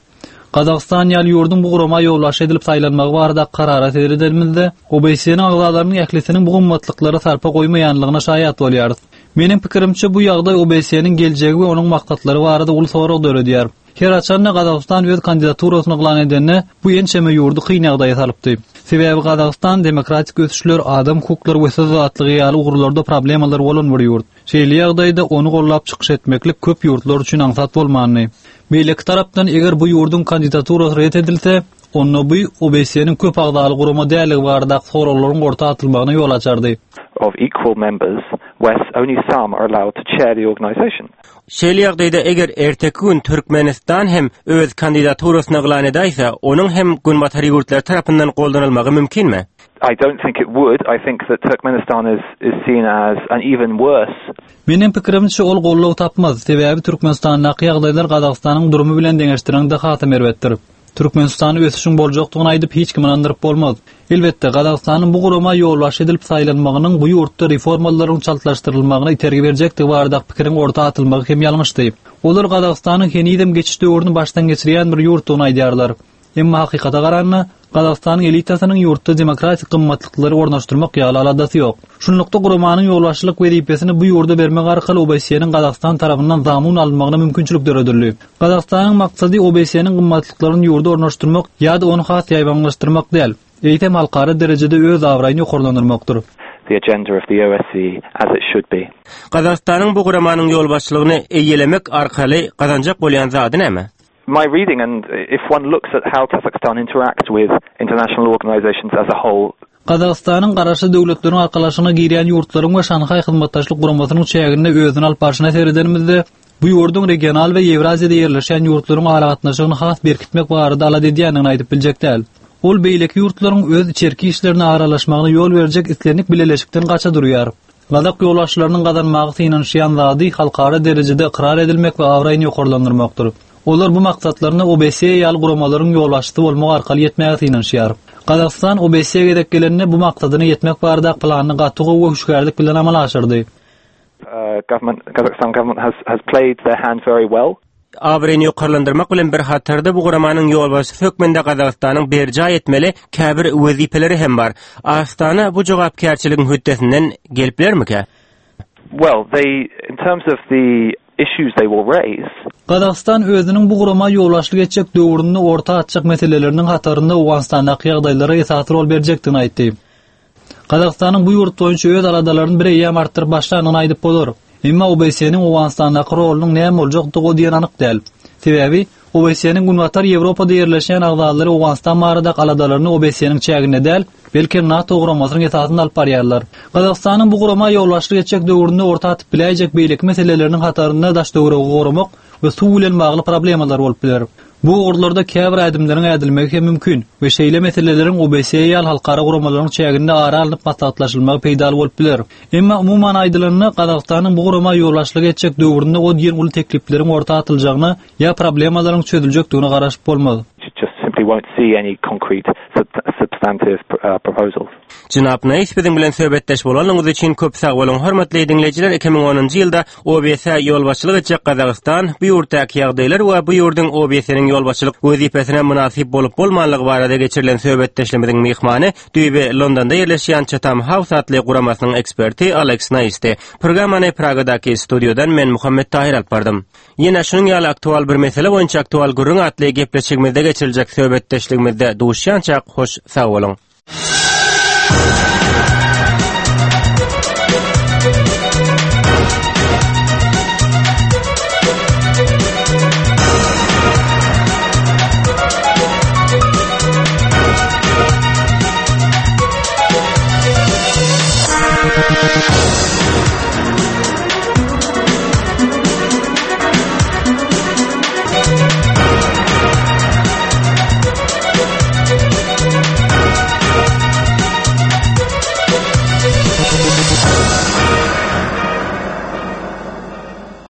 S16: Gazagystan ýaly ýurduň bu gurama ýolbaşçy edilip saýlanmagy baradaky karara seredenimizde, OBSE-niň agzalarynyň ählisiniň bu gymmatlyklara sarpa goýmaýanlygyna şaýat bolýarys. Meniň pikirimçe, bu ýagdaý OBSE-niň geljegi we onuň maksatlary barada uly sorag döredýär. Her haçan-da Gazagystan öz kandidaturasyny yglan edende, bu ençeme ýurdy kyn ýagdaýa salypdy. Sebäbi Gazagystan demokratik ösüşler, adam hukuklary we söz azatlygy ýaly ugurlarda problemalary bolan bir ýurt. Şeýle ýagdaýda ony gollap çykyş etmeklik köp ýurtlar üçin aňsat bolmandy. Beýleki tarapdan, eger bu ýurduň kandidaturasy ret edilse, onda bu OBSE-niň köp agzaly gurama däldigi baradaky soraglaryň orta atylmagyna ýol açardy.
S5: Of equal members, whereas only some are allowed to chair the organization.
S1: Şeýle ýagdaýda eger erteki gün Türkmenistan hem öz kandidaturasyny yglan edäýse, onuň hem Günbatar ýurtlary tarapyndan goldanylmagy mümkinmi?
S5: I don't think it would. I think that Turkmenistan is is seen as an even worse.
S16: Meniň pikirimçe ol goldaw tapmaz, sebäbi Türkmenistandaky ýagdaýlar Gazagystanyň durumy bilen deňeşdireňde hasam erbetdir. Türkmenistanda ösüşiň boljakdygyny aýdyp hiç kimi ynandyryp bolmaz. Elbetde, Gazagystanyň bu gurama ýolbaşçy edilip saýlanmagynyň bu ýurtda reformalaryň çaltlaşdyrylmagyna itergi berjekdigi baradaky pikiriň orta atylmagy hem ýalňyşdy. Olar Gazagystanyň henizem geçiş döwrüni başdan geçirýän bir ýurtdugyny aýdýarlar. Emma hakykata garanda, Gazagystanyň elitasynyň ýurtda demokratik gymmatlyklary ornaşdyrmak ýaly aladasy ýok. Şunlukda guramanyň ýolbaşçylyk wezipesini bu ýurda bermek arkaly OBSE-niň Gazagystan tarapyndan zamun alynmagyna mümkinçilik döredildi. Gazagystanyň maksady OBSE-niň gymmatlyklaryny ýurda ornaşdyrmak ýa-da ony has ýaýbaňlaşdyrmak däl, eýsem halkara derejede öz abraýyny ýokarlandyrmakdyr.
S5: the agenda of the OSCE as it should be.
S1: Gazagystanyň bu guramanyň ýolbaşçylygyny eýelemek arkaly gazanjak bolýan zady näme?
S5: My reading and if one looks at how Kazakhstan interacts with international organizations as a whole,
S16: Gazagystanyň Garaşsyz Döwletleriň Arkalaşygyna girýän ýurtlaryň we Şanhaý Hyzmatdaşlyk Guramasynyň çäginde özüni alyp barşyna seredenimizde, bu ýurduň regional we Ýewraziýada ýerleşýän ýurtlaryň aragatnaşygyny has berkitmek barada alada edýändigini aýdyp biljek däl. Ol beýleki ýurtlaryň öz içerki işlerine aralaşmagyna ýol berjek islendik bileleşikden gaça durýar. Gazak ýolbaşçylarynyň gazanmaga synanyşýan zady halkara derejede ykrar edilmek we abraýyny ýokarlandyrmakdyr. Olar bu maksatlaryna OBSE ýaly guramalaryň ýolbaşçysy bolmak arkaly ýetmäge synanyşýar. Gazagystan OBSE gezek gelende bu maksadyna ýetmek baradaky planyny gaty gowy we hüşgärlik bilen amala aşyrdy.
S5: Kazakhstan government has has played their hand very well.
S1: Abraýyny ýokarlandyrmak bilen bir hatarda bu guramanyň ýolbaşçysy hökmünde Gazagystanyň berjaý etmeli käbir wezipeleri hem bar. Astana bu jogapkärçiligiň hötdesinden gelip bilermikä?
S5: Well, they, in terms of the issues they will raise.
S16: Gazagystan özüniň bu gurama ýolbaşçylyk etjek döwründe orta atjak meseleleriniň hatarynda Owganystandaky ýagdaýlara esasy rol berjekdigini aýtdy. Gazagystanyň bu ýurt boýunça öz aladalaryny bireýýäm artdyryp başlandygyny aýdyp bolar. Emma OBSE-niň Owganystandaky rolunyň näme boljakdygy o diýen anyk däl. Sebäbi, OBSE-niň Günbatar Ýewropada ýerleşýän agzalary Owganystan baradaky aladalaryny OBSE-niň çäginde däl, Belkem NATO guramasynyň esasynda alyp barýarlar. Gazagystanyň bu gurama ýolbaşçylyk etjek döwründe orta atyp biläýjek beýleki meseleleriniň hatarynda daş-töweregi goramak we suw bilen bagly problemalar bolup biler. Bu ugurlarda käbir ädimleriň ädilmegi hem mümkin we şeýle meseleleriň OBSE ýaly halkara guramalaryň çäginde ara alnyp maslahatlaşylmagy peýdaly bolup biler. Emma umuman aýdylanda, Gazagystanyň bu gurama ýolbaşçylyk etjek döwründe o diýen uly teklipleriň orta atyljagyna ýa problemalaryň çözüljekdigine garaşyp bolmaz.
S1: Jenap Naýs biziň bilen söhbetdeş bolanyňyz üçin köp sag boluň. Hormatly diňleýjiler, 2010-njy ýylda OBS-ä ýolbaşçylyk etjek Gazagystan, bu ýurtdaky ýagdaýlar we bu ýurduň OBS-niň ýolbaşçylyk wezipesine mynasyp bolup-bolmanlygy barada geçirilen söhbetdeşligimiziň myhmany düýbi Londonda ýerleşýän Chatham House atly guramasynyň eksperti Aleks Naýsdy. Programmany Pragadaky studiýadan men Muhammet Tahyr alyp bardym. Ýene şunuň ýaly aktual bir mesele boýunça Aktual gürrüň atly gepleşigimizde geçiriljek söhbetdeşligimizde duşýançak hoş sag boluň.